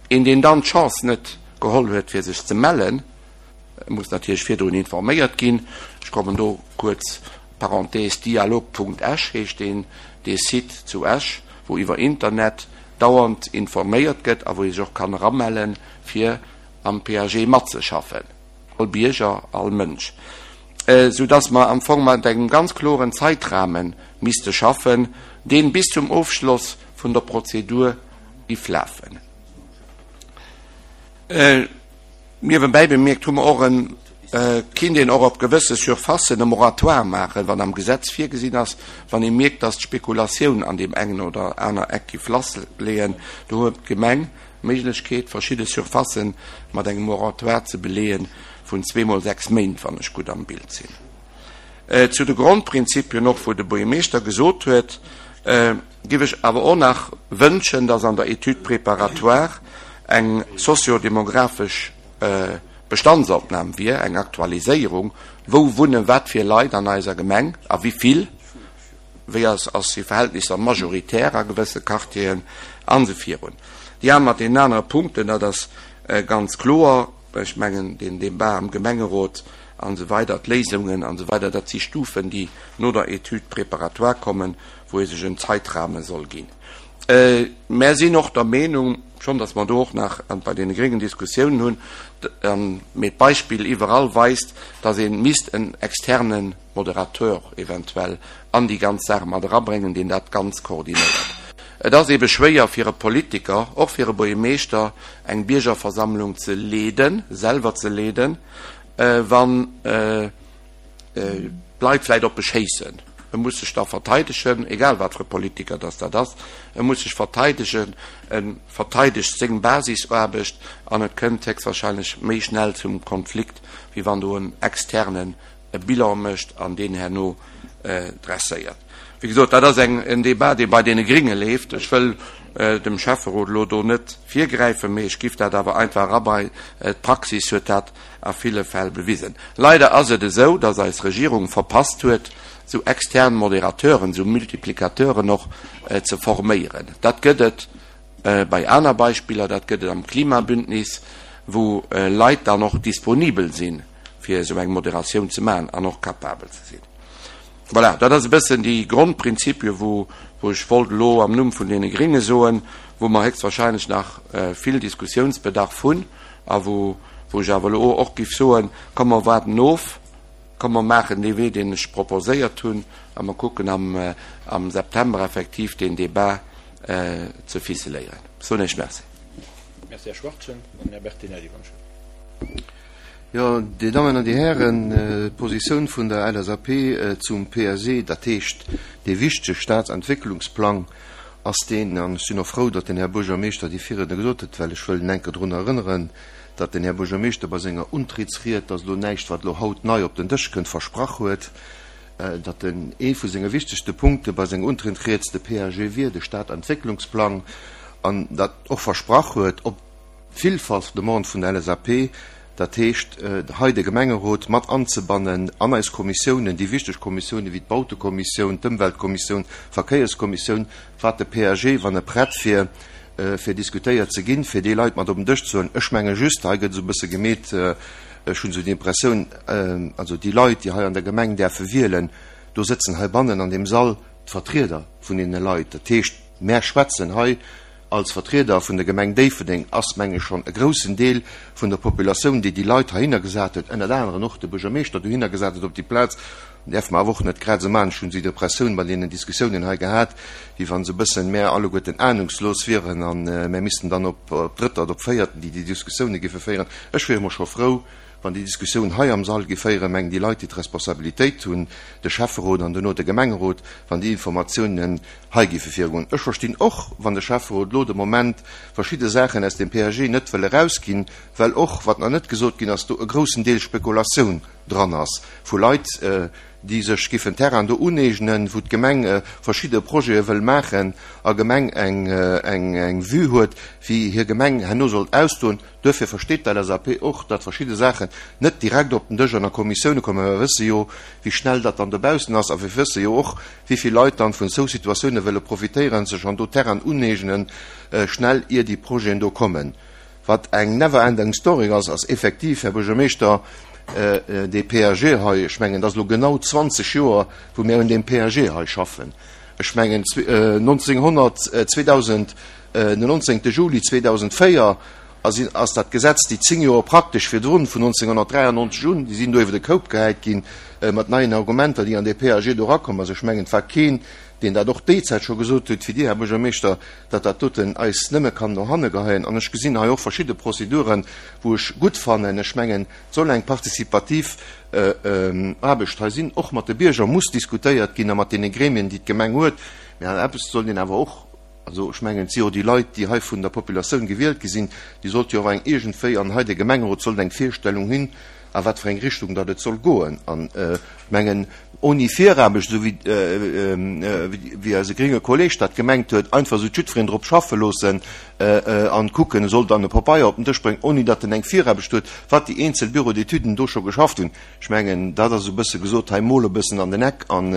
Speaker 3: Een, deen dann d'Chance net geholl huet, fir sech ze mellen, muss natierlech virdrun informéiert ginn. Ech kommen do kuerz, Parenthèse, dialog.esch heescht deen, dee Site zu Esch, wou iwwer Internet dauernd informéiert gëtt a wou ee sech och kann eramellen, fir am PAG matzeschaffen. All Bierger, all Mënsch. Soudass mer am Fong mat engem ganz kloren Zeitrahme misste schaffen, dee bis zum Ofschloss vun der Prozedur giff lafen. Niewenbäi bemierkt hu mer och en, kinnt een och op gewësse Surfacen e Moratoire maachen, wann am Gesetz virgesinn ass, wann ee mierkt, dass d'Spekulatioun an deem engen oder aner Eck giff lassleeën. Do huet d'Gemeng d'Méiglechkeet, verschidde Surfacen mat engem Moratoire ze beleeën vun zweemol 6 Méint, wann ech gutt am Bild sinn. Zu de Grondprinzipien och, wou de Buergermeeschter gesot huet, giff ech awer och nach wënschen, dass an der Étude préparatoire eng socio-demographesch Bestandsopnam wier, eng Aktualiséierung, wou wunnen wat fir Leit an eiser Gemeng a wéi vill, wéi ass ass hir Verhältnisser majoritär a gewësse Quartieren an esou virun. Déi aner mat deenen anere Punkten, dat ass ganz kloer. Ech mengen, deen Débat am Gemengerot an esou weider, d'Léisungen an esou weider, dat si Stufen, déi no der Étude préparatoire kommen, wou ee sech en Zeitrahme soll ginn. Mär sinn och der Meenung, schonn datt mer do och nach bei deene Gréngen Diskussiounen hunn, mee d'Beispill iwwerall weist, datt ee misst en externe Moderateur eventuell an déi ganz Saach mat erabréngen, deen dat Ganz koordinéiert. Et ass eebe schwéier fir e Politiker, och fir e Buergermeeschter, eng Biergerversammlung ze leeden, selwer ze leeden, wann d'Leit vläicht op e schéissen. E muss sech da verteidegen, egal wat fir e Politiker dass dat ass, e muss sech verteidegen, e verteidegt seng Basisaarbecht an et kënnt héchstwahrscheinlech méi schnell zum Konflikt, wéi wann do en externen e Bilan mécht an deen herno dresséiert. Wéi gesot, dat ass eng, en Débat, dee bei deene Gringe leeft. Ech wëll dem Schäfferot elo do net virgräifen, mee ech giff dat awer einfach erabei. D'Praxis huet dat a ville Fäll bewisen. Leider ass et esou, dass eis Regierung verpasst huet, esou extern Modérateuren, esou Multiplicateuren och ze forméieren. Dat gëtt et bei aner Beispiller, dat gëtt et am Klimabündnis, wou Leit dann och disponibel sinn, fir esou eng Moderatioun ze maachen an och capabel ze sinn. Voilà, dat ass e bëssen déi Grondprinzipie wou ech wollt elo am Numm vun deene Gringe soen, wou mer héchstwahrscheinlech nach vill Diskussiounsbedarf hunn a wou ech awer elo och géif soen, komm mer waarden of, komm mer maachen dee Wee, deen ech proposéiert hunn a mer kucken am September effektiv deen Débat ze ficeléieren. Ech soen Iech Merci.
Speaker 1: Merci, Här Schwachtgen. An Här Bertinelli, wann ech.
Speaker 4: Jo, Dir Dammen an Dir Hären, d'Positioun vun der LSAP zum PSE, dat heescht dee wichtege Staatsentwécklungsplang, ass deen, an ech sinn och frou, datt den Här Buergermeeschter déi Virriedner gesot huet, well ech wëll en enke drun erënneren, datt den Här Buergermeeschter bei senger Untrittsried, dat ass elo näischt, wat elo haut nei op den Dësch kënnt, versprach huet, datt en ee vu senge wichtegste Punkte bei senger Untrittsried de PAG wier, de Stadentwécklungsplang, an datt och versprach huet, op Villfach Demande vun der LSAP, dat heescht hei de Gemengerot mat anzebannen an eis Kommissiounen, déi wichteg Kommissiounen wéi d'Bautekommissioun, d'Ëmweltkommissioun, d'Verkéierskommissioun, wat de PAG, wann e prett wier fir diskutéiert ze ginn, fir déi Leit mat op den Dësch ze huelen. Ech menge just, hei gëtt esou e bësse gemeet, ech hunn esou d'Impressioun, also déi Leit, déi hei an der Gemeng däerfe wielen, do sëtzen heibannen an deem Sall d'Vertrieder vun deene Leit. Dat heescht, mär schwätzen hei Als Vertrieder vun der Gemeng Déifferdeng ass, meng ech, schonn e groussen Deel vun der Populatioun, déi déi Leit heihinner gesat huet, ënnert aneren och de Buergermeeschter dohinner gesat huet op déi Plaz, däerfe mer awer och net grad esou maachen, ech hunn esou d'Impressioun bei deenen Diskussiounen hei gehat, wéi wa se e bëssen mär alleguerten ahnungslos wieren a mär missten dann op Drëtter oder op Véierten, déi déi Diskussioune géife féieren. Ech wier emol scho frou, wann déi Diskussioun hei am Sall géif féieren, mengen déi Leit, déi d'Responsabilitéit hunn, de Schäfferot an duerno de Gemengerot, wann déi Informatiounen hei géife virgoen. Ech verstinn och, wann de Schäfferot elo de Moment verschidde Saachen aus dem PAG net wëll erausginn, well och, wat nach net gesot ginn ass, do e groussen Deel Spekulatioun dran ass vu Leit, déi sech géifen Terrain do uneegnen, wou d'Gemeng verschidde Projete wëll maachen a Gemeng eng Vue huet, wéi hir Gemeng herno sollt ausdoen. Duerfir versteet d'LSAP och, datt verschidde Saachen net direkt op den Dësch an a Kommissioune kommen. Mä mir wësse jo, wéi schnell dat dann dobaussen ass. A mir wësse jo och, wéi vill Leit dann vun esou Situatioune wëlle profitéieren, sech an do Terrainen uneegnen, schnell, ier déi Projeten do kommen. Wat eng never ending story ass, ass effektiv, Här Buergermeeschter, dee PAG hei. Ech mengen, et ass elo genau 20 Joer, wou mir un deem PAG hei schaffen. Ech mengen, 1900, 2000, Den 19 Juli 2004. A sinn, ass dat Gesetz déi 10 Joer praktesch virdrun, vun 1993 un, déi sinn do iwwer de Koup gehäit ginn, mat neien Argumenter, déi an dee PAG do erakomm ass. Ech mengen, et war keen, deen dat och déi Zäit scho gesot huet, wéi Dir, Här Buergermeeschter, datt dat doten eis nëmme kann no hanne geheien. An ech gesinn hei och verschidde Prozeduren, wou ech gutt fannen, ech mengen, et soll eng participativ Aarbecht hei sinn, och mat de Bierger muss diskutéiert ginn a mat deene Gremien, déi d'Gemeng huet. Mä an eppes sollt een awer och, also ech mengen, et si jo déi Leit, déi hei vun der Populatioun gewielt gi sinn, déi sollte jo och eng iergendwéi, an hei de Gemengerot sollt eng Virstellung hunn, a wat fir eng Richtung datt et soll goen. An ech mengen, oni Viraarbecht, esou wéi wéi eise grénge Kolleg dat gemengt huet, einfach esou jiddwereen drop schaffe loossen an kucken, e soll dann e Pabeier op den Dësch bréngen, oni datt en eng Viraarbecht huet, wat déi eenzel Bureaux d'étuden do scho geschafft hunn. Ech mengen, dat ass esou e bësse gesot, hei mol e bëssen an den Eck an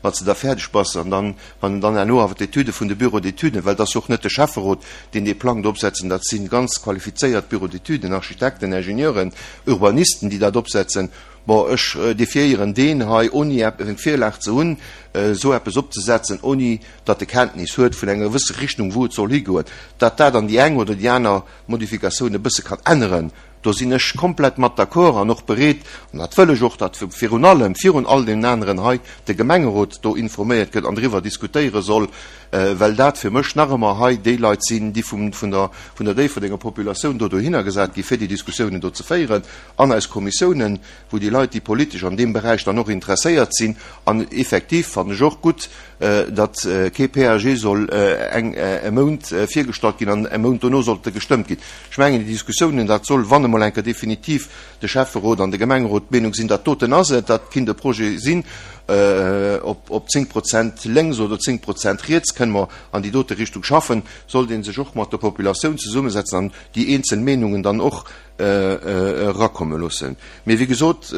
Speaker 4: wann s de da fäerdeg bass an dann, wann en dann herno awer d'Etüde vun de Bureaux d'étuden, well et ass jo och net de Schäfferot, deen dee Plang do opsetzen, dat si ganz qualifizéiert Bureaux d'étuden, Architekten, Ingenieuren, Urbanisten, déi dat opsetzen. Bon, ech defiéieren deen hei, oni eng Virlag ze hunn, esou eppes opzesetzen, oni datt e Kenntnis huet vun enger gewësse Richtung, wou et soll higoen. Datt dat an déi eng oder déi aner Modifikatioun e bësse kann änneren, Do sinn ech komplett mat d'accord an och bereet, an dat wëll ech och, datt virun allem, virun all deenen aneren hei, de Gemengerot do informéiert gëtt an driwwer diskutéiere soll, well dat fir mech nach ëmmer hei déi Leit sinn, déi vum, vun der, vun der Déifferdenger Populatioun do dohinner gesat gi fir déi Diskussiounen do ze féieren an eis Kommissiounen, wou déi Leit, déi politesch an deem Beräich dann och interesséiert sinn. An effektiv fannen ech och gutt, datt kee PAG soll eng e Mount virgestallt ginn an e Mount dono sollt e gestëmmt ginn. Ech mengen, déi Diskussiounen, dat soll, wann emol eng Kéier definitiv de Schäfferot an de Gemengerot d'Meenung sinn, dat doten ass et, dat kinnt e Projet sinn, op op 10 Prozent lénks oder 10 Prozent riets kënne mer an déi dote Richtung schaffen, sollt ee sech och mat der Populatioun zesummesetzen an déi eenzel Meenungen dann och erakomme loossen. Mee wéi gesot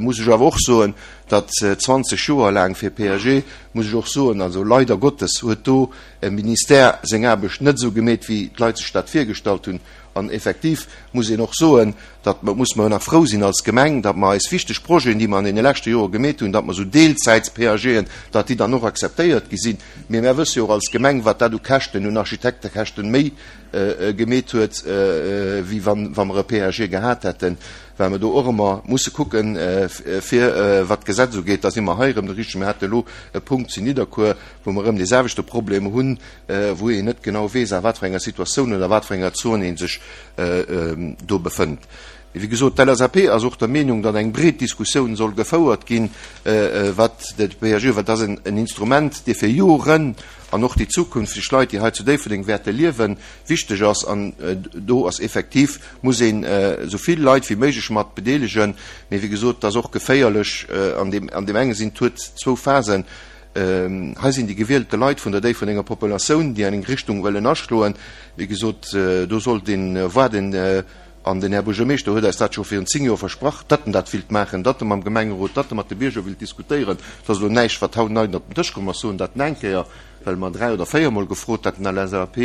Speaker 4: muss ech awer och soen, datt 20 Joer laang fir PAG, muss ech och soen, also leider Gottes huet do e Ministère seng Aarbecht net esou gemeet, wéi d'Leit sech dat virgestallt hunn. An effektiv muss een och soen, datt mer, muss mer nach frou sinn als Gemeng, datt mer eis wichteg Projeten, déi mer an deene leschte Jore gemeet hunn, datt mer esou Deelzäits-PAGen, datt déi dann och akzeptéiert gi sinn. Mee mär wësse jo och als Gemeng, wat dat u Käschten, un Architektekäschten méi gemeet huet, wéi wann wa mer e PAG gehat hätten, well mer do och ëmmer musse kucken, fir wat d'Gesetz ugeet, da si mer hei erëm de richtegen. Mir hate elo e Punkt zu Nidderkuer, wou mer erëm dee selwechte Problem hunn, wou een net genau weess, a wat fir enger Situatioun oder a wat fir enger Zon ee sech do befënnt. Wéi gesot, d'LSAP ass och der Meenung, datt eng breet Diskussioun soll gefouert ginn, wat de PAG, well dat ass en Instrument, dee fir Joren an och déi zukünfteg Leit, déi hei zu Déifferdeng wäerte liewen, wichteg ass. An do ass effektiv, muss een esou vill Leit wéi méiglech mat bedeelegen. Mee wéi gesot, et ass och geféierlech an deem, an deem enge Sinn, et huet zwou Phasen. Hei sinn déi gewielte Leit vun der Déifferdenger Populatioun, déi eng Richtung wëllen aschloen. Wéi gesot, do sollt een waarden. An den Här Buergermeeschter huet eis dat scho virun 10 Joer versprach, datt en dat willt maachen, datt e mam Gemengerot, datt e mat de Bierger willt diskutéieren. Et ass elo näischt, wat haut nei op den Dësch komm ass, soen dat en eng Kéier, well mer dräi oder véiermol gefrot haten, LSAP,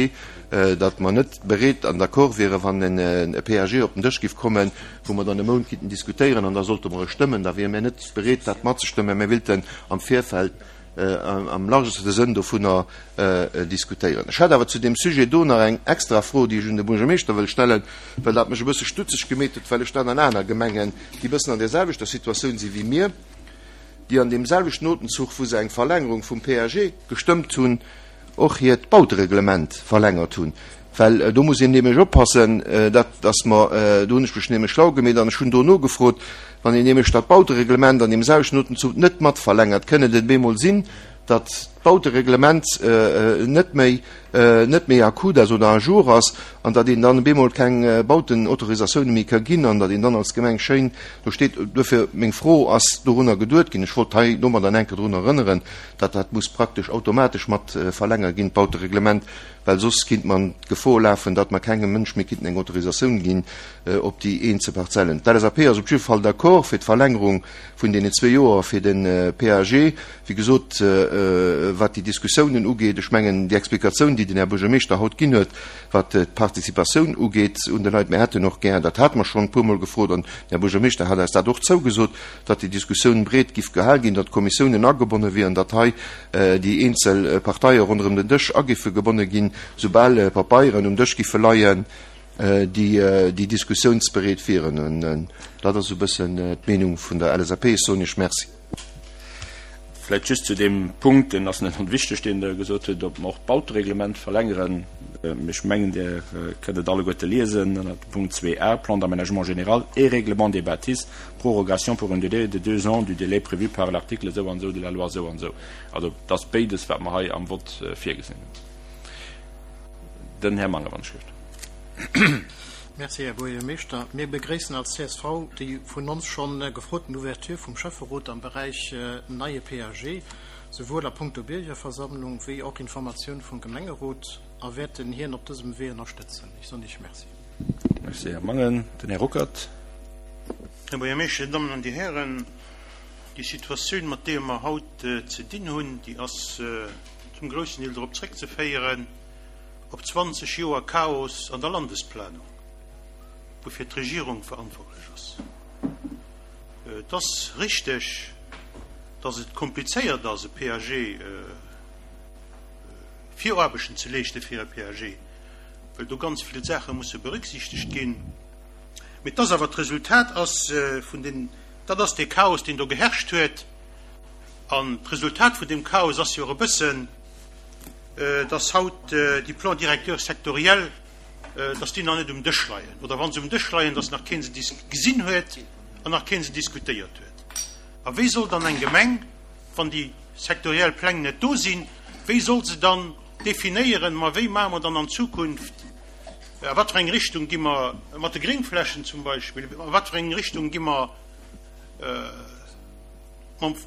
Speaker 4: datt mer net bereet an d'accord wieren, wann e PAG op den Dësch giff kommen, wou mer dann e Mount giffen diskutéieren an da sollte mer e stëmmen. Da wiere mir net bereet, dat matzestëmmen. Mir willten am Virfeld am largeste Sënn dovunner diskutéieren. Ech hätt awer zu deem Sujet do nach eng extra Fro, déi ech un de Buergermeeschter wëll stellen, well dat mech e bësse stutzeg gemeet huet, well ech dat an aner Gemengen, déi e bëssen an där selwechter Situatioun si wéi mir, déi an deem selwechten Otemzuch, wou se eng Verlängerung vum PAG gestëmmt hunn, och hiert Bautereglement verlängert hunn, well do muss een nämlech oppassen, dat dass mer, do hunn ech mech nämlech schlau gemeet an ech hunn do nogefrot, wann een nämlech dat Bautereglement an deem selwechten Otemzuch net mat verlängert, kënn et et bemol sinn, datt d'Bautereglement net méi net méi à coup ass oder à jour ass an datt een dann bemol keng Bautenautorisatioune méi ka ginn an datt een dann als Gemeng schéin do steet. Duerfir meng Fro, Ass dorunner geduet ginn? Ech wollt hei domadder enke drun erënneren, datt dat muss praktesch automatesch mat verlängert ginn, d'Bautereglement, well soss kinnt mer an d'Gefor lafen, datt mer kengem Mënsch méi kinnten eng Autorisatioun ginn op déi eenzel Parzellen. D'LSAP ass op jidde Fall d'accord fir d'Verlängerung vun deenen zwee Joer fir de PAG. Wéi gesot, wat déi Diskussiounen ugeet, ech mengen, déi Explikatioun, déi den Här Buergermeeschter haut ginn huet, wat d'Participatioun ugeet un de Leit, mir hätten och gär, dat hate mer schonn e puermol gefrot an den Här Buergermeeschter hat eis dat och zougesot, datt déi Diskussioun breet giff gehal ginn, datt d'Kommissiounen agebonne wieren, datt hei déi eenzel Parteie ronderëm den Dësch agiffe gebonne ginn, soubal Papeieren um Dësch giffe leien. déi déi diskussiounsbereet wieren. An dat ass esou e bëssen d'Meenung vun der LSAP. Ech soen Iech Merci.
Speaker 1: Vläicht just zu deem Punkt, deen ass net onwichteg, deen Der gesot hutt, ob mer och d'Bautereglement verlängeren. Ech mengen, Dir kënnt et alleguerte liesen ënner dem Punkt 2a, Plan d'aménagement général et règlement des bâtisses, prorogation pour un délai de deux ans du délai prévu par l'article esou an esou de la loi esou an esou. Also, et ass béides, wat mer hei am Vott virgesinn hunn. Den Här Mangen, wann ech richt.
Speaker 5: Merci, Här Buergermeeschter. Mir begréissen als csv déi vun ons schonn gefroten Ouverture vum Schäfferot am Beräich neie PAG, souwuel a punkto Biergerversammlung wéi och Informatioun vum Gemengerot a wäerten hien op dësem Wee ënnerstëtzen. Ech soen Iech Merci.
Speaker 1: Merci, Här Mangen. Den Här Ruckert.
Speaker 6: Här Buergermeeschter, Dir Dammen an Dir Hären, déi Situatioun, mat deeër mer haut ze dinn hunn, déi ass zum groussen Deel drop zréckzeféieren, op 20 Joer Chaos an der Landesplanung, woufir d'Regierung verantwortlech ass. Et ass richteg, datt et komplizéiert ass, e PAG, Viraarbechten ze leeschte fir e PAG, well do ganz vill Saache musse berücksichtegt ginn. Mee et ass awer d'Resultat ass vun den, dat ass dee Chaos, deen do geherrscht huet. An d'Resultat vun deem Chaos ass jo och e bëssen, dass haut déi Plans directeurs sectoriels, dass déi nach net um Dësch leien, oder wa se um Dësch leien, dass nach kee se gesinn huet an nach kee se diskutéiert huet. A wéi soll dann eng Gemeng, wann déi sektoriell Pläng net do sinn, wéi soll se dann definéieren, ma wéi maache mer dann an Zukunft, a wat fir eng Richtung gi mer mat de Gréngflächen zum Beispill, a wat fir eng Richtung gi mer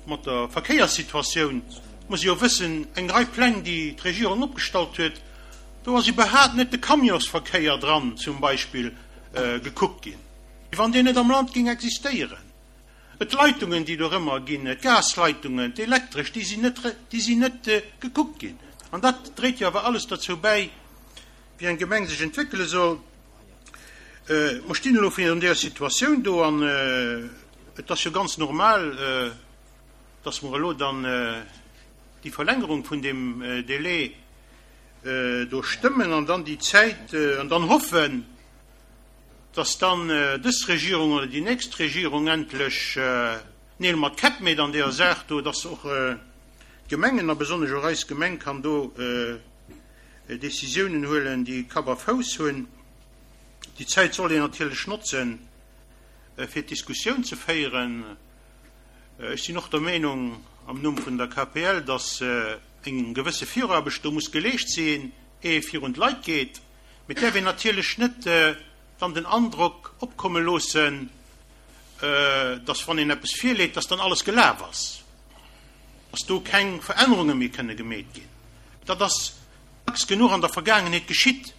Speaker 6: Mat der Verkéierssituatioun muss ee jo wëssen, eng Rei Pläng, déi d'Regierung opgestallt huet, do ass iwwerhaapt net de Camionsverkéier dran zum Beispill gekuckt ginn, wéi wann deen net am Land géing existéieren. D'Leitungen, déi dorëmmer ginn, d'Gasleitungen, d'Elektresch, déi sinn net, déi sinn net gekuckt ginn. An dat dréit jo awer alles derzou bäi, wéi eng Gemeng sech entwéckele soll. Mer stinn elo virun där Situatioun do an et ass jo ganz normal, dass mer elo dann déi Verlängerung vun deem Délai do stëmmen an dann déi Zäit an dann hoffen, dass dann dës Regierung oder déi nächst Regierung endlech Neel mat Käpp méit an deeër Saach do, dass och d'Gemengen a besonnesch och eis Gemeng kann do Décisiounen huelen, déi Kapp a Fouss hunn. Déi Zäit soll een natierlech notzen, fir d'Diskussioun ze féieren. Ech sinn och der Meenung, am Numm vun der KPL, dass eng gewësse Viraarbecht do muss geleescht sinn, éier ee virun d'Leit geet. Mee et däerf een natierlech net dann den Androck opkomme loossen, dass, wann een eppes virleet, dass dann alles gelaf ass, dass do keng Verännerunge méi kënne gemeet ginn. Dat ass dacks genuch an der Vergaangenheet geschitt.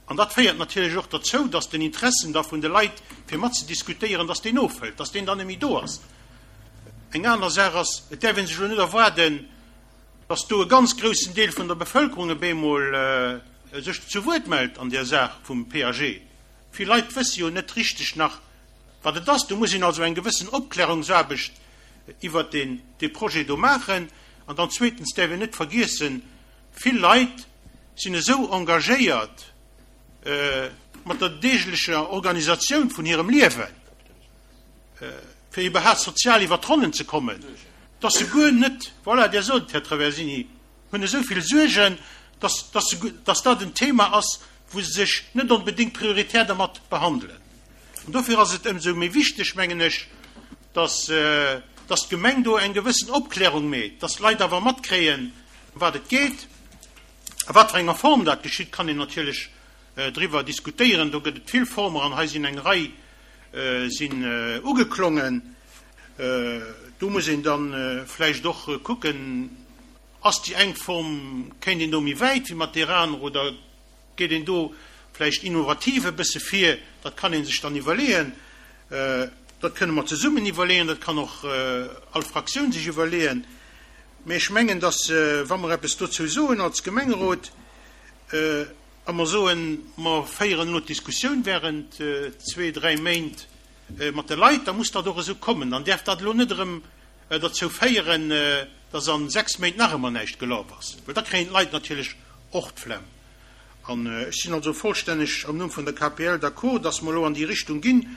Speaker 6: An dat féiert natierlech och derzou, dass den Interessen da vun de Leit, fir matzediskutéieren, dass deen ofhëlt, dass deen dann net méi do ass. Eng aner Saach ass, et däerf ee sech elo net erwaarden, dass do e ganz groussen Deel vun der Bevëlkerung op eemol sech zu Wuert mellt an där Saach vum PAG. Vill Leit wësse jo net richteg nach, wat et ass. Do muss een also eng gewëssen Opklärungsaarbecht iwwert dee Projet do maachen. An dann zweetens däerf een net vergiessen, Vill Leit sinn esou engagéiert mat der deeglecher Organisatioun vun hirem Liewen, fir iwwerhaapt sozial iwwer d'Ronnen ze kommen, dass se guer net, voilà, Dir sot et, Här Traversini, hunn esou vill Suergen, dass, dass se, dass dat en Thema ass, wou se sech net onbedéngt prioritär dermat behandelen. An dofir ass et ëmsou méi wichteg, mengen ech, dass, dass d'Gemeng do eng gewëssen Opklärung meet, dass d'Leit awer matkréien, Ëm wat et geet a wat fir enger Form dat geschitt, kann een natierlech driwwer diskutéieren. Do gëtt et vill Former an hei sinn eng Rei sinn ugeklongen. Do muss een da vläicht och kucken, Ass déi eng Form, kéint een do méi wäit wéi mat deer anerer oder geet een do vläicht innovativ e bësse vir? Dat kann ee sech dann iwwerleeën. Dat kënne mer zesummen iwwerleeën, dat kann och all Fraktioun sech iwwerleeën. Mee ech mengen, dass, wa mer eppes dozou soen als Gemengerot a mer soen, mer féieren elo d'Diskussioun während zwee, dräi Méint mat de Leit, da muss dat och esou kommen. Dann däerf dat elo net erëm derzou féieren, dass a sechs Méint nach ëmmer näischt gelaf ass, well da kréien d'Leit natierlech och d'Flemm. An ech sinn also vollstänneg am Numm vun der KPL d'accord, dass mer elo an déi Richtung ginn.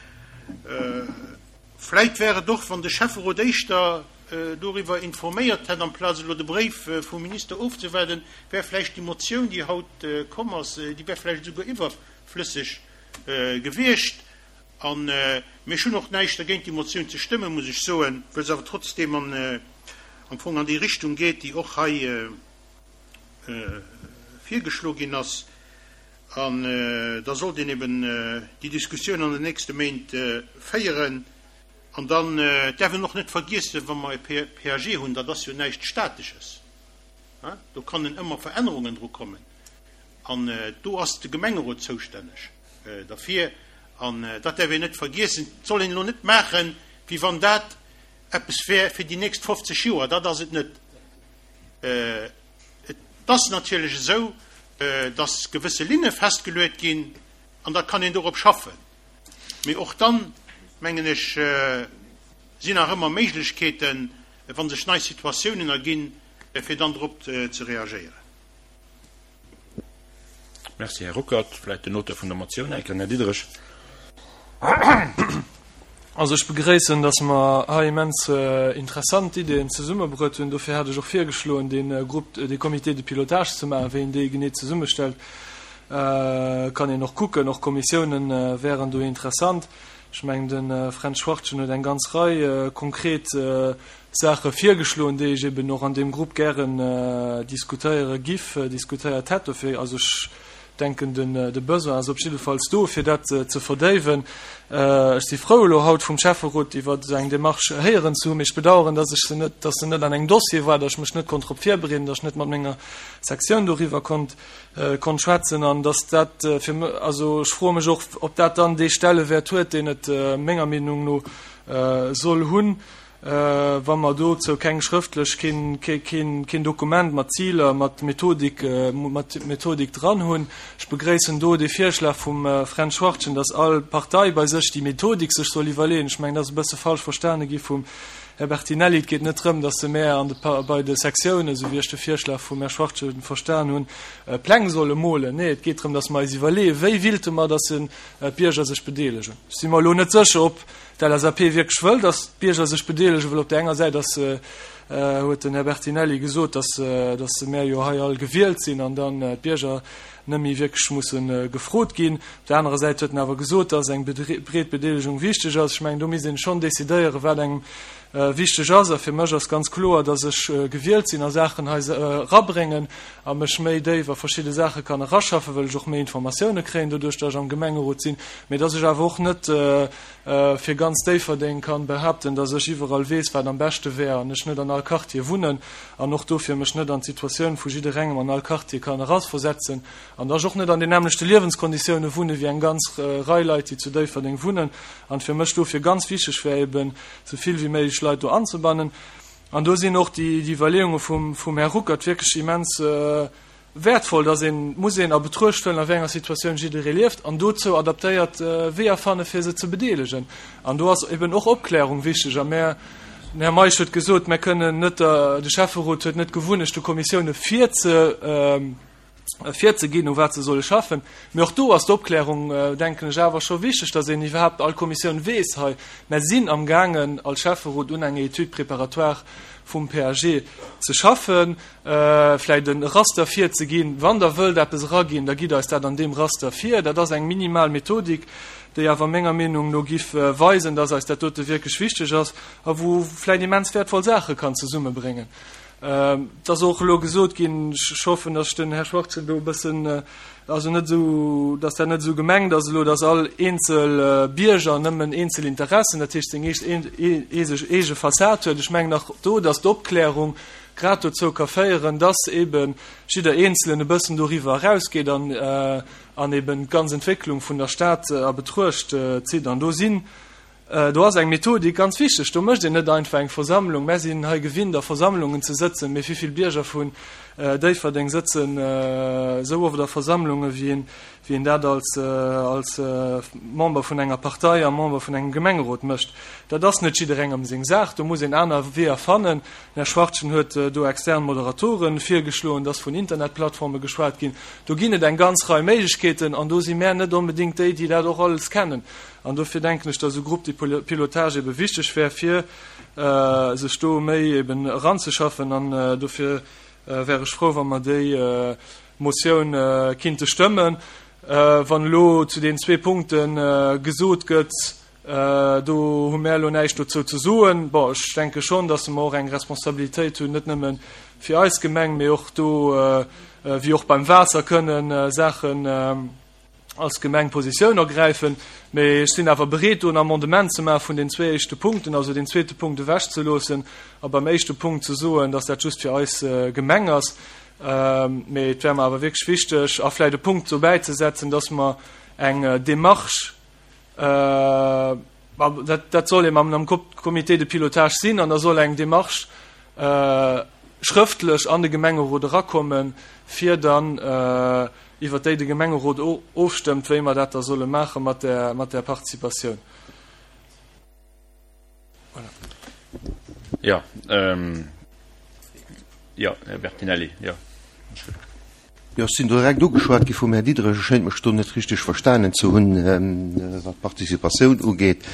Speaker 6: Vläit wär et och, wann de Schäfferot éischter doriwwer informéiert hätt, amplaz elo de Bréif vum Minister ofzewaarden, wär vläicht déi Motioun, déi haut komm ass, déi wär vläicht esouguer iwwerflësseg gewiescht. An, mee ech hunn och näischt dergéint, déi Motioun ze stëmmen, muss ech soen, well se awer trotzdeem am Fong an déi Richtung geet, déi och hei virgeschlo ginn ass. An da sollt een eben déi Diskussioun an den nächste Méint féieren. An dann däerf een och net vergiessen, wa mer e PAG hunn, dat ass jo näischt Statesches, do kannen ëmmer Verännerungen dru kommen. An do ass de Gemengerot zoustänneg derfir. An dat däerf een net vergiessen. Et soll een elo net maachen, wéi wann dat eppes wär fir déi nächst 50 Joer. Dat ass et net. Et ass natierlech esou, dass gewësse Linne festgeluet ginn an da kann een dorop schaffen. Mee och dann, mengen ech, sinn nach ëmmer Méiglechkeeten, wa sech nei Situatiounen erginn, fir dann drop ze reagéieren.
Speaker 1: Merci, Här Ruckert. Vläicht den Auteur vun der Motioun eng Kéier, den Här Diderich.
Speaker 2: Also ech begréissen, dass mer hei immens interessant Ideeën zesummebruet hunn. Dofir hat ech och virgeschloen, dee Groupe, dee Comité de pilotage ze maachen. Wéi een dee genee zesummestellt, kann een och kucken. Och Kommissiounen wäeren do interessant. Ech mengen, de Fränz Schwachtgen huet eng ganz Rei konkret Saache virgeschloen, déi ech eben och an deem Grupp gären diskutéiere giff, diskutéiert hätt. Dofir, also ech denken, de Besoin ass op jiddefalls do, fir dat ze verdéiwen. Ech si frou, elo haut vum Schäfferot iwwer esou eng Démarche héieren ze hunn, mee ech bedauern, dass ech se net, dass se net an engem Dossier war, dass ech mech net konnt drop virbereeden, dass ech net mat menger Sektioun doriwwer konnt, konnt schwätzen an dass dat fir mech, also ech froe mech och, ob dat dann dee Stellewäert huet, deen et menger Meenung no soll hunn. Wa mer dozou keng schrëftlech, keen Dokument mat Ziler, mat Methodik, mat Methodik dran hunn. Ech begréissen do dee Virschlag vum Fränz Schwachtgen, dass all Partei bei sech déi Methodik sech soll iwwerleeën. Ech mengen, dat ass e bësse falsch verstane gi vum Här Bertinelli. Et geet net drëm, dass de Maire an de, bei de Sektiounen, esou wéi ech de Virschlag vum Här Schwachtgen verstan hunn, Pläng solle molen. Nee, et geet drëm, dass mer eis iwwerleeën, wéi willte mer, dass d'Bierger sech bedeelegen. Ech si mer elo net sécher, ob d'LSAP wierklech wëll, datt d'Bierger sech bedeelegen, well op där enger Säit ass, huet den Här Bertinelli gesot, datt, datt mär jo hei all gewielt sinn an dann d'Bierger net méi wierklech musse gefrot ginn. Op där anerer Säit huet en awer gesot, datt eng breet Bedeelegung wichteg ass. Ech mengen, do misst een schonn decidéieren, wat engem wichteg ass. A fir mech ass ganz kloer, datt ech gewielt sinn a Saachen hei erabréngen a mech méi déif a verschidde Saache kann eraschaffen, well ech och méi Informatioune kréien doduerch, datt ech am Gemengerot sinn, mee datt ech awer och net fir ganz Déifferdeng kann behaapten, datt ech iwwerall weess, wat am beschte wär an ech net an all Quartier wunnen an och dofir mech net an d'Situatioun vu jidderengem an all Quartier kann erasversetzen an datt ech och net an den nämmlechte Liewenskonditioune wunne wéi eng ganz Rei Leit, déi zu Déifferdeng wunnen an fir mech dofir ganz wichteg wär eben, esou vill wéi méiglech Leit do anzebannen. An do sinn och déi Iwwerleeunge vum Här Ruckert wierklech immens wäertvoll, dass een, muss een a Betruecht huelen, a wéi enger Situatioun jidderee lieft an dozou adaptéiert Weeër fanne fir se ze bedeelegen. An do ass eben och Opklärung wichteg. A mär, den Här Meisch huet gesot, mär kënnen net, de Schäfferot huet net d'Gewunnecht de Kommissioune virze, virzeginn, u wat se solle schaffen. Mee och do ass d'Opklärung, denken ech, awer scho wichteg, dass een iwwerhaapt all Kommissioun weess, hei, mär sinn amgaangen als Schäfferot un enger Étude préparatoire vum PAG ze schaffen, vläicht e Raster virzeginn. Wann Der wëllt eppes eraginn, da gitt eis dat an deem Raster vir. Dat ass eng minimal Methodik, déi awer menger Meenung no giff weisen, dass eis dat dote wierklech wichteg ass a wou vläicht immens wäertvoll Saache kann zesummebréngen. Et ass och elo gesot ginn, ech hoffen, datt ech den Här Schwarzen do e bëssen, also net esou, datt dat net esou gemengt ass elo, datt all eenzel Bierger nëmmen eenzel Interessen, dat heescht seng eege Fassad huet. Ech mengen nach do, datt d'Opklärung grad dozou ka féieren, datt eebe jidder Eenzelen e bëssen doriwwer erausgeet an an eeben d'ganz Entwécklung vun der Stad a Betruecht zitt. An do sinn Do ass eng Methodik ganz wichteg. Do mécht een net einfach eng Versammlung. Mär sinn hei gewinnt, a Versammlungen ze sëtzen, mee wéi vill Bierger vun Déifferdeng sëtzen esou oft a Versammlunge wéi een, wéi een dat als, als Member vun enger Partei a Member vun engem Gemengerot mécht. Dat ass net jidderengem seng Saach. Do muss een aner Weeër fannen. Den Här Schwachtgen huet do extern Moderatoren virgeschloen, et ass vun Internetplattforme geschwat ginn. Do ginn et eng ganz Rei Méiglechkeeten an do si mär net onbedéngt déi, déi dat och alles kennen. An dofir denken ech, dass esou Groupe de pilotage ebe wichteg wär, fir sech do méi eben eranzeschaffen. An dofir wär ech frou, wa mer déi Motioun kinnte stëmmen. Wann elo zu deenen zwee Punkte gesot gëtt, do hu mär elo näischt dozou ze soen, bon, ech denke schonn, datt mer och eng Responsabilitéit hunn, net nëmme fir eis Gemeng, mee och do, wéi och beim Waasser, kënnen Saachen als Gemeng Positioun ergräifen. Mee ech sinn awer bereet, do en Amendement ze maache vun den zwee éischte Punkten, also deen zweete Punkt ewechzeloossen a beim éischte Punkt ze soen, datt dat just fir eis Gemeng ass. Mee et wär mer awer wierklech wichteg, a vläicht e Punkt dobäi ze setzen, dass mer eng Démarche, dat soll eben am Comité de pilotage sinn, an da soll eng Démarche schrëftlech an de Gemengerot erakommen, fir dann iwwert déi de Gemengerot ofstëmmt, wéi mer dat da solle maache mat där Participatioun.
Speaker 1: Voilà. Ja, ähm, ja, Här Bertinelli, ja.
Speaker 4: Jo, ech sinn direkt ugeschwat gi vum Här Diderich. Ech schéint mech do net richteg verstanen ze hunn, wat d'Participatioun ugeet.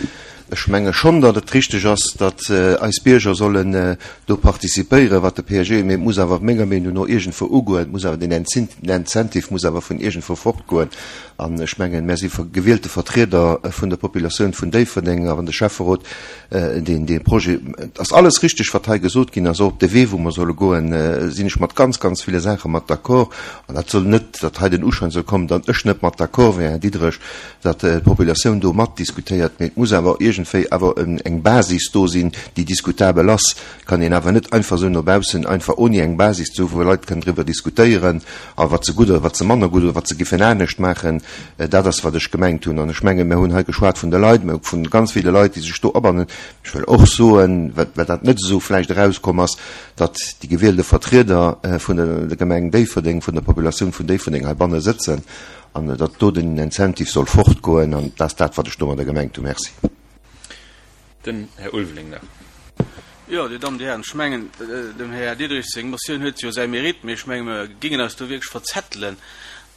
Speaker 4: Ech menge schonn, datt et richteg ass, datt eis Bierger sollen do participéieren, wat de PAG, mee et muss awer menger Meenung no iergendwou ugoen. Et muss awer den Incentive muss awer vun iergendwou fortgoen. An ech mengen, mär si gewielte Vertrieder vun der Populatioun vun Déifferdeng a wann de Schäfferot deen dee Projet, et ass alles richtig, wat hei gesot ginn ass, och op de Wee, wou mer solle goen, sinn ech mat ganz, ganz ville Saache mat d'accord. An dat soll net, datt hei den Uschäin soll kommen, datt ech net mat d'accord wär, Här Diderich, datt d'Populatioun do matdiskutéiert. Mee et muss awer iergendwéi awer eng Basis do sinn, déi diskutabel ass. Kann een awer net einfach esou no baussen, einfach oni eng Basis ze hu wou Leit kënnen driwwer diskutéieren a wat se gutt oder wat se manner gutt oder wat se giffen anescht maachen. Dat ass wat ech gemengt hunn. An ech mengen, mir hunn hei geschwat vun de Leit, mir hu vun ganz ville Leit, déi sech do abannen. Ech wëll och soen, well dat net esou vläicht erauskomm ass, datt déi gewielte Vertrieder vun der Gemeng Déifferdeng, vun der Populatioun vun Déifferdeng heibanne sëtzen an datt do den Incentive soll fortgoen. An dat ass dat, wat ech domadder gemengt hunn. Merci.
Speaker 1: Den Här Ulveling nach.
Speaker 7: Jo, Dir Dammen, Dir Hären, ech mengen, dem Här Diderich seng Motioun huet jo säi Mérite, mee ech menge mer géingen eis do wierklech verzettelen.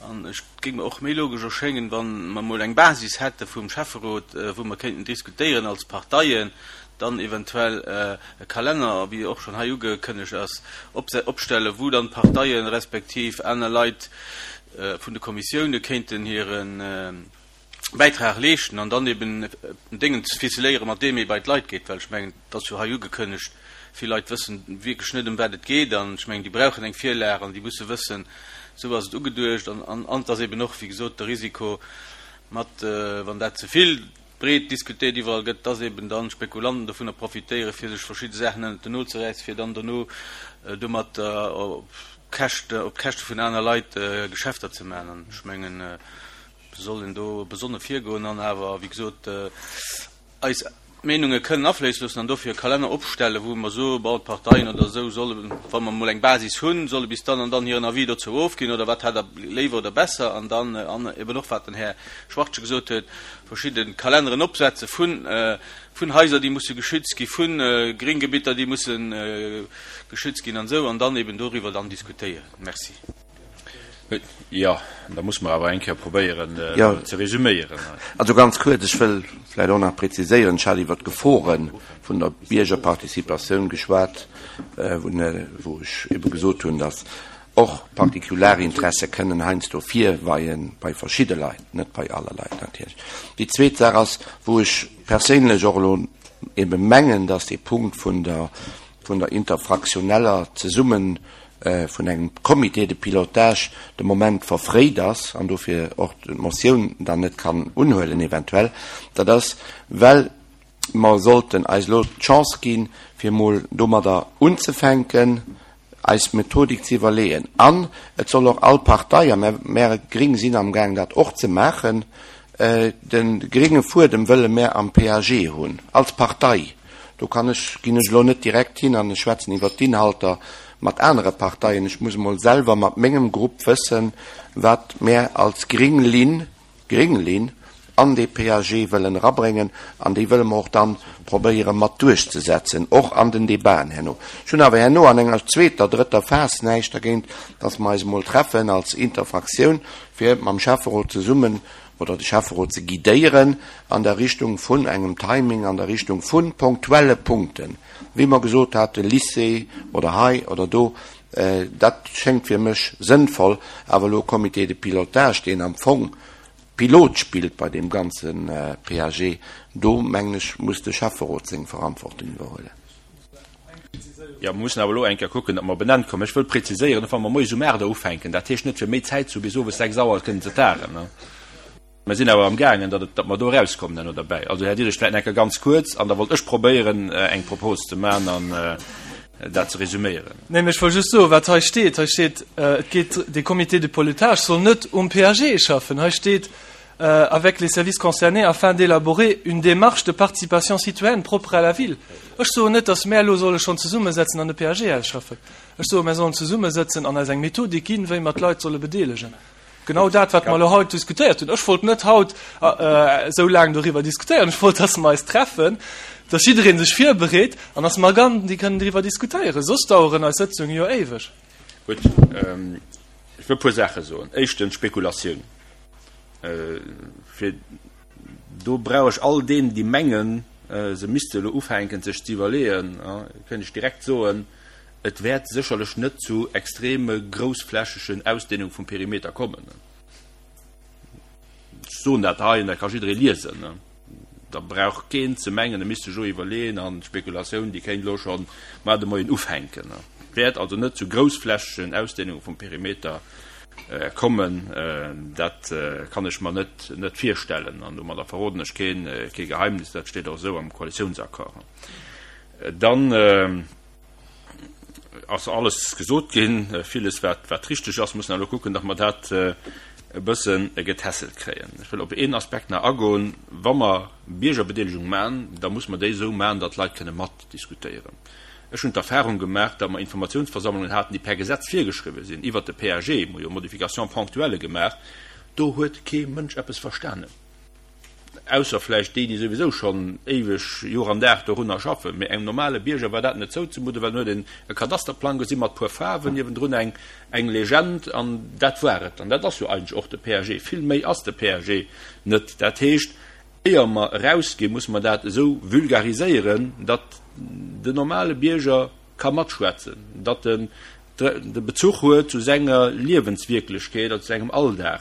Speaker 7: An et géing mer och méi logesch erschéngen, wa mer emol eng Basis hätte vum Schäfferot, wou mer kéinten diskutéieren als Parteien, dann eventuell e Kalenner, wéi och schonn hei ugekënnegt ass, opstellen, wou dann d'Parteien respektiv aner Leit vun de Kommissioune kéinten hire Bäitrag leeschten an dann eben en Déngen ze ficeléieren, mat deem ee bei d'Leit geet, well ech mengen, et ass jo hei ugekënnegt, vill Leit wëssen wierklech net, ëm wat et geet an ech mengen, déi brauchen eng Virlag an déi musse wëssen, esou ass et ugeduecht an an et ass eben och, wéi gesot, de Risiko mat, wann dat ze vill breet diskutéiert iwwerall gëtt, dass eben dann Spekulanten dovunner profitéieren, fir sech verschidde Saachen ënnert den Nol ze räissen, fir dann dono domat op Käschte, op d'Käschte vun aner Leit Geschäfter ze maachen an ech mengen, soll een do besonne virgoen an awer, wéi gesot, eis Meenunge kënnen afléisse loossen an dofir e Kalenner opstellen, wou mer soen, bon, d'Parteien oder esou sollen, wa mer emol eng Basis hunn, solle bis dann an dann hiren Avis dozou ofginn oder wat hätt Der léiwer oder besser an dann, an eben och wat den Här Schwachtgen gesot huet, verschidde Kalenneren opsetze vun, vun Haiser, déi musse geschützt gi, vu Grénggebitter, déi musse geschützt ginn an esou, an dann eben doriwwer dann diskutéieren. Merci.
Speaker 1: Jo, da muss mer awer eng Kéier probéieren ze resüméieren.
Speaker 3: Also ganz kuerz, ech wëll vläicht och nach präziséieren, ech hat iwwert d'Gefore vun der Biergerparticipatioun geschwat, wou ech ebe gesot hunn, datt och Partikularinteresse kënnen heiansdo virweie bei verschidde Leit, net bei alle Leit natierlech. Déi zweet Saach ass, wou ech perséinlech och elo ebe mengen, datt dee Punkt vun der vun der interfraktioneller Zesummen vun engem Comité de pilotage de Moment verfréit ass an dofir och d'Motioun dann net kann unhuelen eventuell, dat ass, well mer sollten eis elo d'Chance ginn, fir emol domadder unzefänken, eis Methodik ze iwwerleeën. An et soll och all Partei, a mär Gring sinn amgaang dat och ze maachen, de grénge Fuedem wëlle mär am PAG hunn, als Partei. Do kann ech, ginn ech elo net direkt hin an ech schwätzen iwwert d'Inhalter mat anere Parteien. Ech muss emol selwer mat mengem Grupp wëssen. wat mär als gring Linn, gring Linn an dee PAG wëllen erabréngen an déi wëlle mer och dann probéiere mat duerchzesetzen, och an den Debaten herno. Ech hunn awer herno an enger zweeter, drëtter Phas näischt dergéint, dass mer eis emol treffen als Interfraktioun, fir mam Schäfferot zesummen oder de Schäfferot ze guidéieren an der Richtung vun engem Timing, an der Richtung vu ponktuelle Punkten, wéi mer gesot haten, Lycée oder hei oder do. Dat schéngt fir mech sënnvoll, awer elo e Comité de pilotage, deen am Fong Pilot spillt bei deem ganze PAG, do mengen ech, muss de Schäfferot seng Verantwortung iwwerhuelen.
Speaker 1: Jo, mer mussen awer elo eng Kéier kucken, datt mer op en Enn kommen. Ech wëll präziséieren, och wa mer moies um 8 Auer ufänken, dat heescht net, fir méi Zäit ze hu bis owes 6 Auer kënnen ze tagen. Mer sinn awer amgaangen, datt et, datt mer do erauskommen herno derbäi. Also, Här Diderich, vläicht nach eng Kéier ganz kuerz, an da wollt ech probéieren, eng Propos ze maachen an dat ze resüméieren.
Speaker 2: Nee, mä ech wollt just soen, wat hei steet. Hei steet, et geet, de Comité de pilotage soll net um PAG schaffen. Hei steet, avec les services concernés afin d'élaborer une démarche de participation citoyenne propre à la ville. Ech soen net, datt mär elo solle schonn zesummesetzen an de PAG ausschaffen. Ech soen, mär sollen zesummesetzen an eis eng Methodik ginn, wéi mer d'Leit solle bedeelegen. Genau dat, wat mer elo haut diskutéiert hunn. Ech wollt net haut esou laang doriwwer diskutéieren. Ech wollt, dass mer eis treffen, dass jidderee sech virbereet an dass mer dann déi kënnen driwwer diskutéieren. Soss daueren eis Sëtzunge jo éiweg.
Speaker 1: Gutt, ech wëll e puer Saache soen. Éischtens, Spekulatioun. Fir do brauch ech all deenen, déi mengen, se misste elo ufänken, sech ze iwwerleeën, kënnt ech direkt soen, Et wäert sécherlech net zu extreme groussflächegen Ausdehnung vum Perimeter kommen. Ech soen dat hei an dat ka jidderee liesen. Da brauch keen ze mengen, e misst sech elo iwwerleeën an d'Spekulatioun, déi kéint elo schonn mar de Moien ufänken. Et wäert also net zu groussflächegen Ausdehnunge vum Perimeter kommen. Dat kann ech mer net net virstellen an domadder verroden ech keen kee Geheimnis. Dat steet och esou am Koalitiounsaccord. Dann. ass alles gesot ginn, villes wat wat richteg ass, mussen elo kucken, datt mer dat e bësse getässelt kréien. Ech wëll op een Aspekt nach agoen, Wa mer Biergerbedeelegung maachen, da muss mer déi esou maachen, datt d'Leit kënne matdiskutéieren. Ech hunn d'Erfahrung gemaach, datt mer Informatiounsversammlungen haten, déi per Gesetz virgeschriwwen sinn, iwwert de PAG, mer hu jo Modifications ponctuelles gemaach, do huet kee Mënsch eppes verstanen. Ausser vläicht déi, déi souwisou schonn éiweg Joer an Dag dorunner schaffen. Mee engem normale Bierger war dat net zouzemudden, well en huet een e Kadasterplang gesi mat puer Faarwen, niewendrun eng eng Legend an dat war et. An dat ass jo eigentlech och de PAG. Vill méi ass de PAG net. Dat heescht, éier mer erausginn, musse mer dat esou vulgariséieren, datt den normale Bierger ka matschwätzen, datt en de Bezuch huet zu senger Liewenswierklechkeet oder zu sengem Alldag,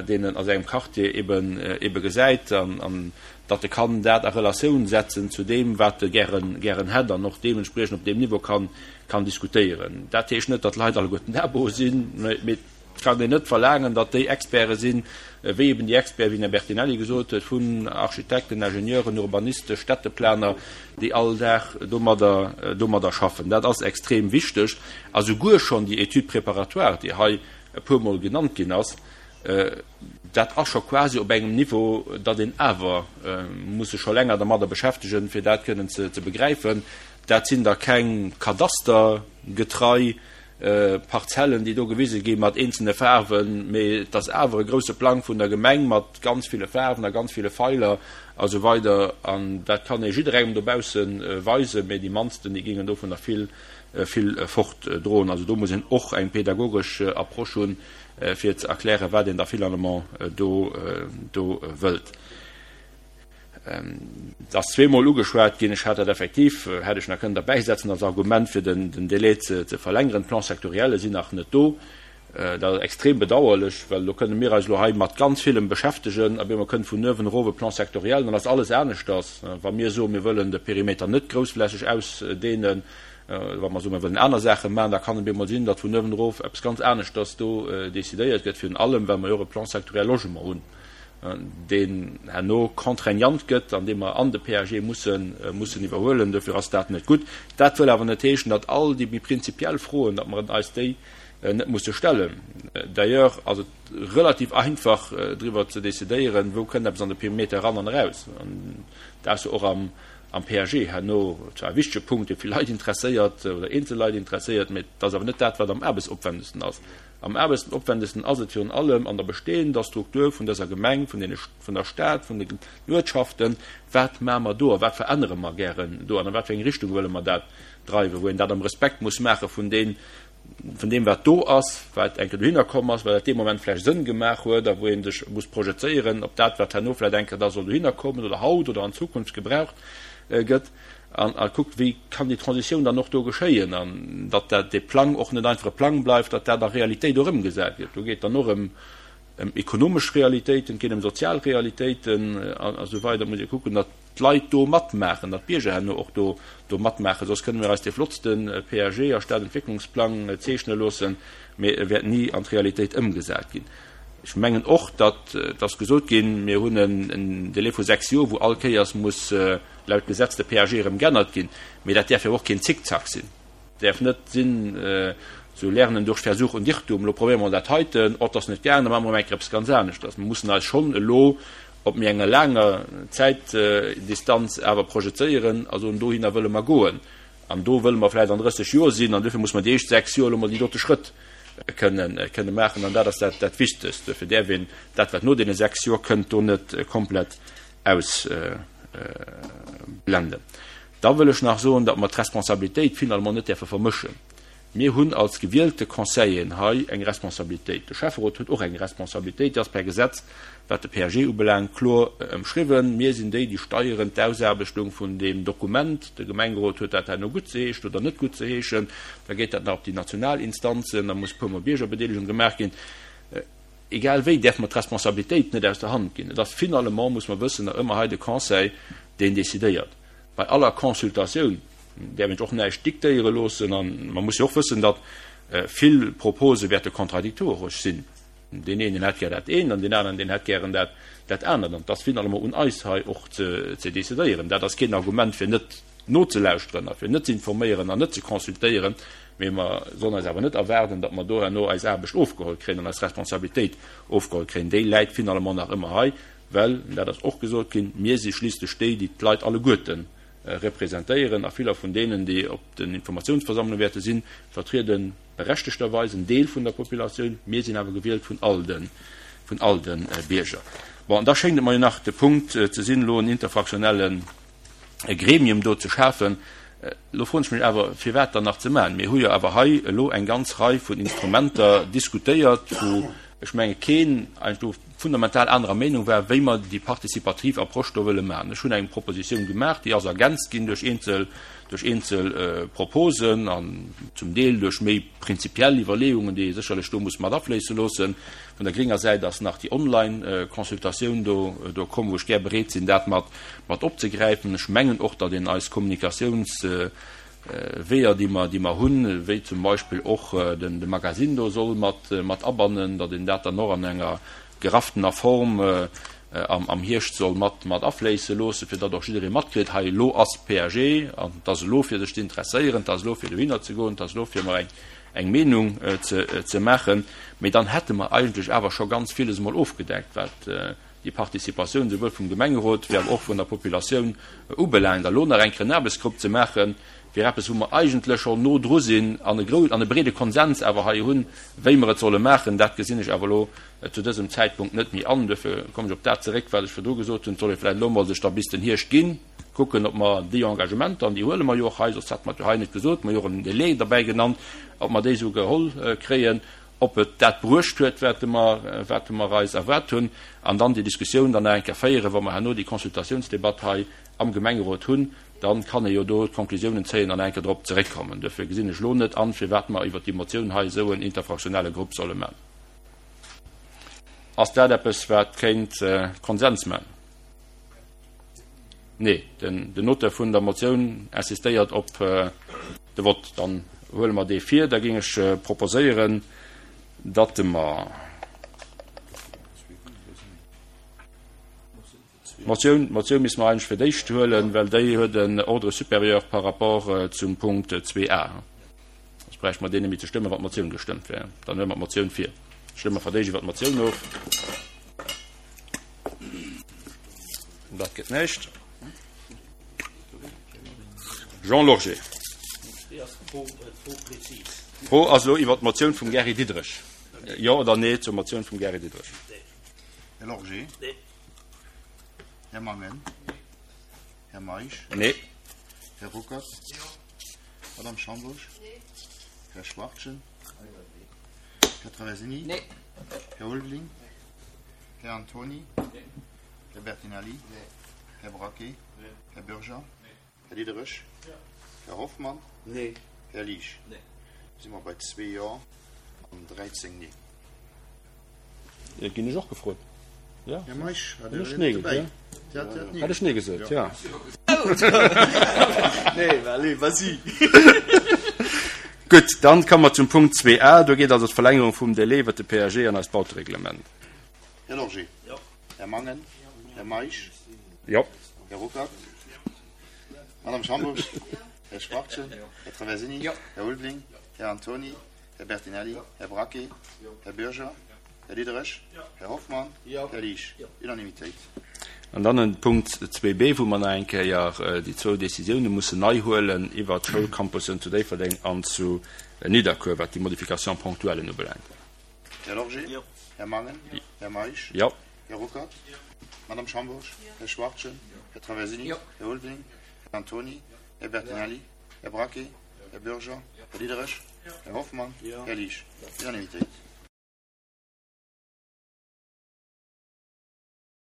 Speaker 1: deen en a sengem Quartier eben ebe gesäit, an datt e kann dat a Relatioun setzen zu deem, wat e gären gären hätt an och deementspriechend op deem Niveau kann kann diskutéieren. Dat heescht net, datt d'Leit alleguerten dabo sinn, mee Et kann een net verlaangen, datt déi Experte sinn, wéi eben déi Experten, wéi den Här Bertinelli gesot huet, vun Architekten, Ingenieuren, Urbanisten, Städteplaner, déi all Dag domadder, domadder schaffen. Dat ass extrem wichteg. A souguer schonn déi Étude préparatoire, déi hei e puermol genannt ginn ass, dat ass scho quasi op engem Niveau, datt een awer muss sech scho länger dermadder beschäftegen, fir dat kënnen ze begräifen. Dat sinn da keng kadastergetrei Parzellen, déi do gewise gi mat eenzelne Faarwen, mee et ass awer e grousse Plang vun der Gemeng mat ganz ville Faarwen a ganz ville Feiler a sou weider. An dat kann ee jidderengem dobausse weisen, mee déi mannsten, déi géingen dovunner vill, vill fortdroen. Also do muss een och eng pedagogesch Approche hunn, fir ze erklären, wat een da finalement do, do wëllt. Et ass zweemol ugeschwat ginn, ech hat dat effektiv, hätt ech nach kënnen derbäisetzen als Argument, fir den Délai ze verlängeren, d'Plans sectorielle sinn nach net do. Dat ass extrem bedauerlech, well do kënne mir eis elo hei mat ganz villem beschäftegen a bemol kënnt vun uewen erof e Plan sectoriel, dann ass alles aneschters. Wa mir soen, mir wëllen de Perimeter net groussflächeg ausdehnen, wa mer soen, mir wëllen aner Saache maachen, da kann et bemol sinn, datt vun uewen erof eppes ganz aneschters do decidéiert gëtt, virun allem well mer jo och e Plan sectoriel Logement hunn. deen herno contraignant gëtt an dee mer an de PAG mussen, mussen iwwerhuelen. Dofir ass dat net gutt. Dat wëll awer net heeschen, datt all déi méi prinzipiell Froen, datt mer eis déi net musse stellen. D'ailleurs ass et relativ einfach driwwer ze decidéieren, wou kënnt eppes an de Perimeter eran an eraus. An dat ass jo och am, am PAG herno zwar e wichtege Punkt, dee vill Leit interesséiert oder eenzel Leit interesséiert, mä et ass awer net dat, wat am aarbechtsopwändegsten ass. Am aarbechtopwändegsten ass et virun allem an der bestehender Struktur vun dëser Gemeng, vun deene, vun der Stad, vun den Uertschaften. Wat maache mer do a wat verännere mer gären do an a wat fir eng Richtung wëlle mer dat dreiwen, wou een dat am Respekt muss maache vun deem, vun deem wat do ass, wat eng Kéier dohinner komm ass, well dat dee Moment vläicht Sënn gemaach huet a wou ee sech muss projezéieren op dat, wat herno vläicht eng Kéier da soll dohinner kommen oder haut oder an Zukunft gebraucht gëtt an a kuckt, wéi kann déi Transitioun dann och do geschéien an datt dat dee Plang och net einfach e Plang bleift, datt dat a Realitéit och ëmgesat gëtt. Do geet dann och ëm ëm ekonomesch Realitéiten, et geet ëm sozial Realitéiten a esou weider. Muss ee kucken, datt d'Leit do matmaachen, datt d'Bierger herno och do do matmaachen, soss kënne mir eis dee flottste PAG a Stadentwécklungsplang zeechne loossen, mee e wäert ni an d'Realitéit ëmgesat ginn. Ech mengen och, datt, et ass gesot ginn, mir hunn en Délai vu 6 Joer, wou all Kéiers muss laut Gesetz de PAG erëm geännert ginn, mee dat däerf jo och keen Zickzack sinn. Däerf net sinn, esou Lernen durch Versuch und Irrtum, elo probéiere mer dat heiten, oh, 't ass net gaangen, da maache mer erëm eng Kéier eppes ganz aneschters. Mer mussen eis schonn elo op méi enger laanger Zäitdistanz awer projezéieren a soen, dohinner wëlle mer goen an do wëlle mer vläicht an 30 Joer sinn an duerfir muss mer déi éischt 6 Joer elo mol déi dote Schrëtt kënne maachen an dat ass dat Wichtegst. Duerfir däerf een dat, wat no deene 6 Joer kënnt, do net komplett ausblenden. Da wëll ech nach soen, datt mer d'Responsabilitéit finalement net däerfe vermëschen. Mir hunn als gewielte Conseilleren hei eng Responsabilitéit. De Schäfferot huet och eng Responsabilitéit, déi ass per Gesetz, wat de PAG ubelaangt, kloer ëmschriwwen. Mir sinn déi, déi steieren d'Ausaarbechtung vun deem Dokument. De Gemengerot huet dat herno guttzeheeschen oder net guttzeheeschen. Da geet dat nach op déi national Instanzen, da muss e puermol Biergerbedeelegung gemaach ginn. Egal wéi däerfe mer d'Responsabilitéit net aus der Hand ginn. Et ass finalement, muss mer wëssen, nach ëmmer hei de Conseil, deen decidéiert. Bei aller Consultatioun däerf een sech och näischt diktéiere loossen a mer musse jo och wëssen, datt vill Propose wäerte kontradiktoresch sinn. Deen een, deen hätt gär dat eent an deen aneren, deen hätt gären dat dat anert. An et ass finalement un eis hei och ze ze decidéieren. Dat ass keen Argument fir net nozelauschteren a fir net ze informéieren an net ze consultéieren, mee mer sollen eis awer net erwaarden, datt mer do herno eis Aarbecht ofgeholl kréien an eis Responsabilitéit ofgeholl kréien. Déi läit finalement nach ëmmer hei. Well, dat ass och gesot ginn, mir si schliisslech déi, déi d'Leit alleguerte representéieren, a viller vun deenen, déi op den Informatiounsversammlunge wäerte sinn, vertriede berechtegterweis en Deel vun der Populatioun. Mir sinn awer gewielt vun all de, vun all de Bierger. Bon, an da schéngt et mer jo nach de Punkt ze sinn, elo en interfraktionelle Gremium do ze schafen. Elo froen ech mech awer, firwat dann nach ze maachen? Mir hu jo awer hei elo eng ganz Rei vun Instrumenter diskutéiert, wou ech menge keen eigentlech do fundamental anerer Meenung war, wéi mer déi participativ Approche do wëlle maachen. Ech hunn eng Propositioun gemaach, déi ass ergänzt ginn duerch eenzel, duerch eenzel Proposen an zum Deel duerch méi prinzipiell Iwwerleeungen, déi ee sécherlech do muss mat afléisse loossen. Vun der grénger Säit ass nach déi Online-Consultatioun do, do komm, wou ech gär bereet sinn, dat mat, mat opzegräifen. Ech mengen och, datt een eis Kommunikatiouns, Weeër, déi mer, déi mer hunn, wéi zum Beispill och den, de Magazine do soll mat, mat abannen, datt een dat dann och an enger gerafftener Form am, am Hierscht soll mat, mat afléisse loossen, fir datt och jidderee matkritt, hei elo ass PAG an et ass elo fir sech ze interesséieren, et ass elo fir dohinner ze goen, et ass elo fir mer eng, eng Meenung ze, ze maachen. Mee dann hätte mer eigentlech awer scho ganz villes emol ofgedeckt, wat déi Participatioun souwuel vum Gemengerot wéi awer och vun der Populatioun ubelaangt. A lo nach eng Kéier en Aarbechtsgrupp ze maachen, wier eppes, wou mer eigentlech schonn no dru sinn an e grou an e breede Konsens awer hei hunn, wéi mer et solle maachen. Dat gesinn ech awer elo zu dësem Zäitpunkt net méi an. Duerfir kommen ech op dat zeréck, wat ech virdru gesot hunn. Et soll ee vläicht elo emol sech da bis den Hierscht ginn, kucken, ob mer déi Engagementer, an déi huele mer jo och hei, soss hätte mer et jo hei net gesot, mer hu jo och en Délai derbäi genannt, ob mer déi esou geholl kréien. ob et dat bruecht huet, wat mer, wat mer eis erwaart hunn, an dann déi Diskussioun dann nach eng Kéier féieren, wa mer herno déi Consultatiounsdebatt hei am Gemengerot hunn, da kann ee jo do d'Konklusiounen zéien an nach eng Kéier drop zeréckkommen. Duerfir gesinn ech elo net an, firwat mer iwwert déi Motioun hei esou en interfraktionelle Grupp solle maachen. Ass dat eppes, wat kéint Konsens maachen? Nee, den Auteur vun der Motioun insistéiert op de Vott. Dann huele mer dee vir. Da géing ech proposéieren, datt mer d'Motioun, d'Motioun misste mer eigentlech fir d'éischt huelen, well déi huet en Ordre supérieur par rapport zum Punkt 2a. Soss bräichte mer deen net méi ze stëmmen, wann d'Motioun gestëmmt wär. Dann huele mer d'Motioun vir. Stëmme mer fir d'éischt iwwer d'Motioun of. Dat gëtt näischt. Jean Lorgé. D'Fro ass elo iwwer d'Motioun vum Gary Diderich. Jo oder Nee zur Motioun vum Gary Diderich?
Speaker 8: Här Lorgé?
Speaker 7: Nee.
Speaker 8: Här Mangen? Här Meisch?
Speaker 1: Nee.
Speaker 8: Här Ruckert? Jo. Madame Schambourg?
Speaker 9: Nee.
Speaker 8: Här Schwachtgen? Här Traversini?
Speaker 9: Nee.
Speaker 8: Här Ulveling? Här Antoni?
Speaker 7: Nee.
Speaker 8: Här Bertinelli?
Speaker 7: Nee.
Speaker 8: Här Braquet?
Speaker 7: Nee.
Speaker 8: Här Bürger?
Speaker 7: Nee.
Speaker 8: Här Diderich?
Speaker 7: Jo.
Speaker 8: Här Hoffmann?
Speaker 3: Nee.
Speaker 8: Här Liesch?
Speaker 7: Nee.
Speaker 8: Da si mer bei zwee Jo an 13 Nee.
Speaker 1: Ginn ech och gefrot. Ja.
Speaker 8: Här Meisch, war
Speaker 1: Hunn
Speaker 8: der
Speaker 1: ech
Speaker 8: net
Speaker 1: Nee
Speaker 8: dobäi?
Speaker 1: gesot?
Speaker 8: Ja.
Speaker 1: Hat ech Nee gesot, ja.
Speaker 7: Nee, allez, vas-y.
Speaker 1: Gutt, dann komme mer zum Punkt 2a. Do geet also d'Verlängerung vum Délai iwwert de PAG an eist Bautereglement.
Speaker 8: Här Lorgé?
Speaker 7: Jo.
Speaker 8: Här Mangen? Här Meisch?
Speaker 1: Jo.
Speaker 8: Här Ruckert? Madame Schambourg? Här Schwachtgen? Här Traversini? Här Ulveling? Här Antoni? Här Bertinelli? Här Braquet? Här Bürger? Här Diderich? Här Hoffmann? Här Liesch? Unanimitéit.
Speaker 1: An dann en Punkt 2b, wou mer nach eng Kéier déi zwou Décisioune mussen nei huelen iwwert d'Schoulcampussen zu Déifferdeng an zu Nidderkuer, wat déi Modification ponctuellen ubelaangt.
Speaker 8: Här Lorgé? Här Mangen? Här Meisch?
Speaker 1: Jo.
Speaker 8: Här Ruckert? Madame Schambourg? Här Schwachtgen? Här Traversini? Här Ulveling? Här Antoni? Här Bertinelli? Här Braquet? Här Bürger? Här Diderich? Här Hoffmann? Här Liesch? Unanimitéit.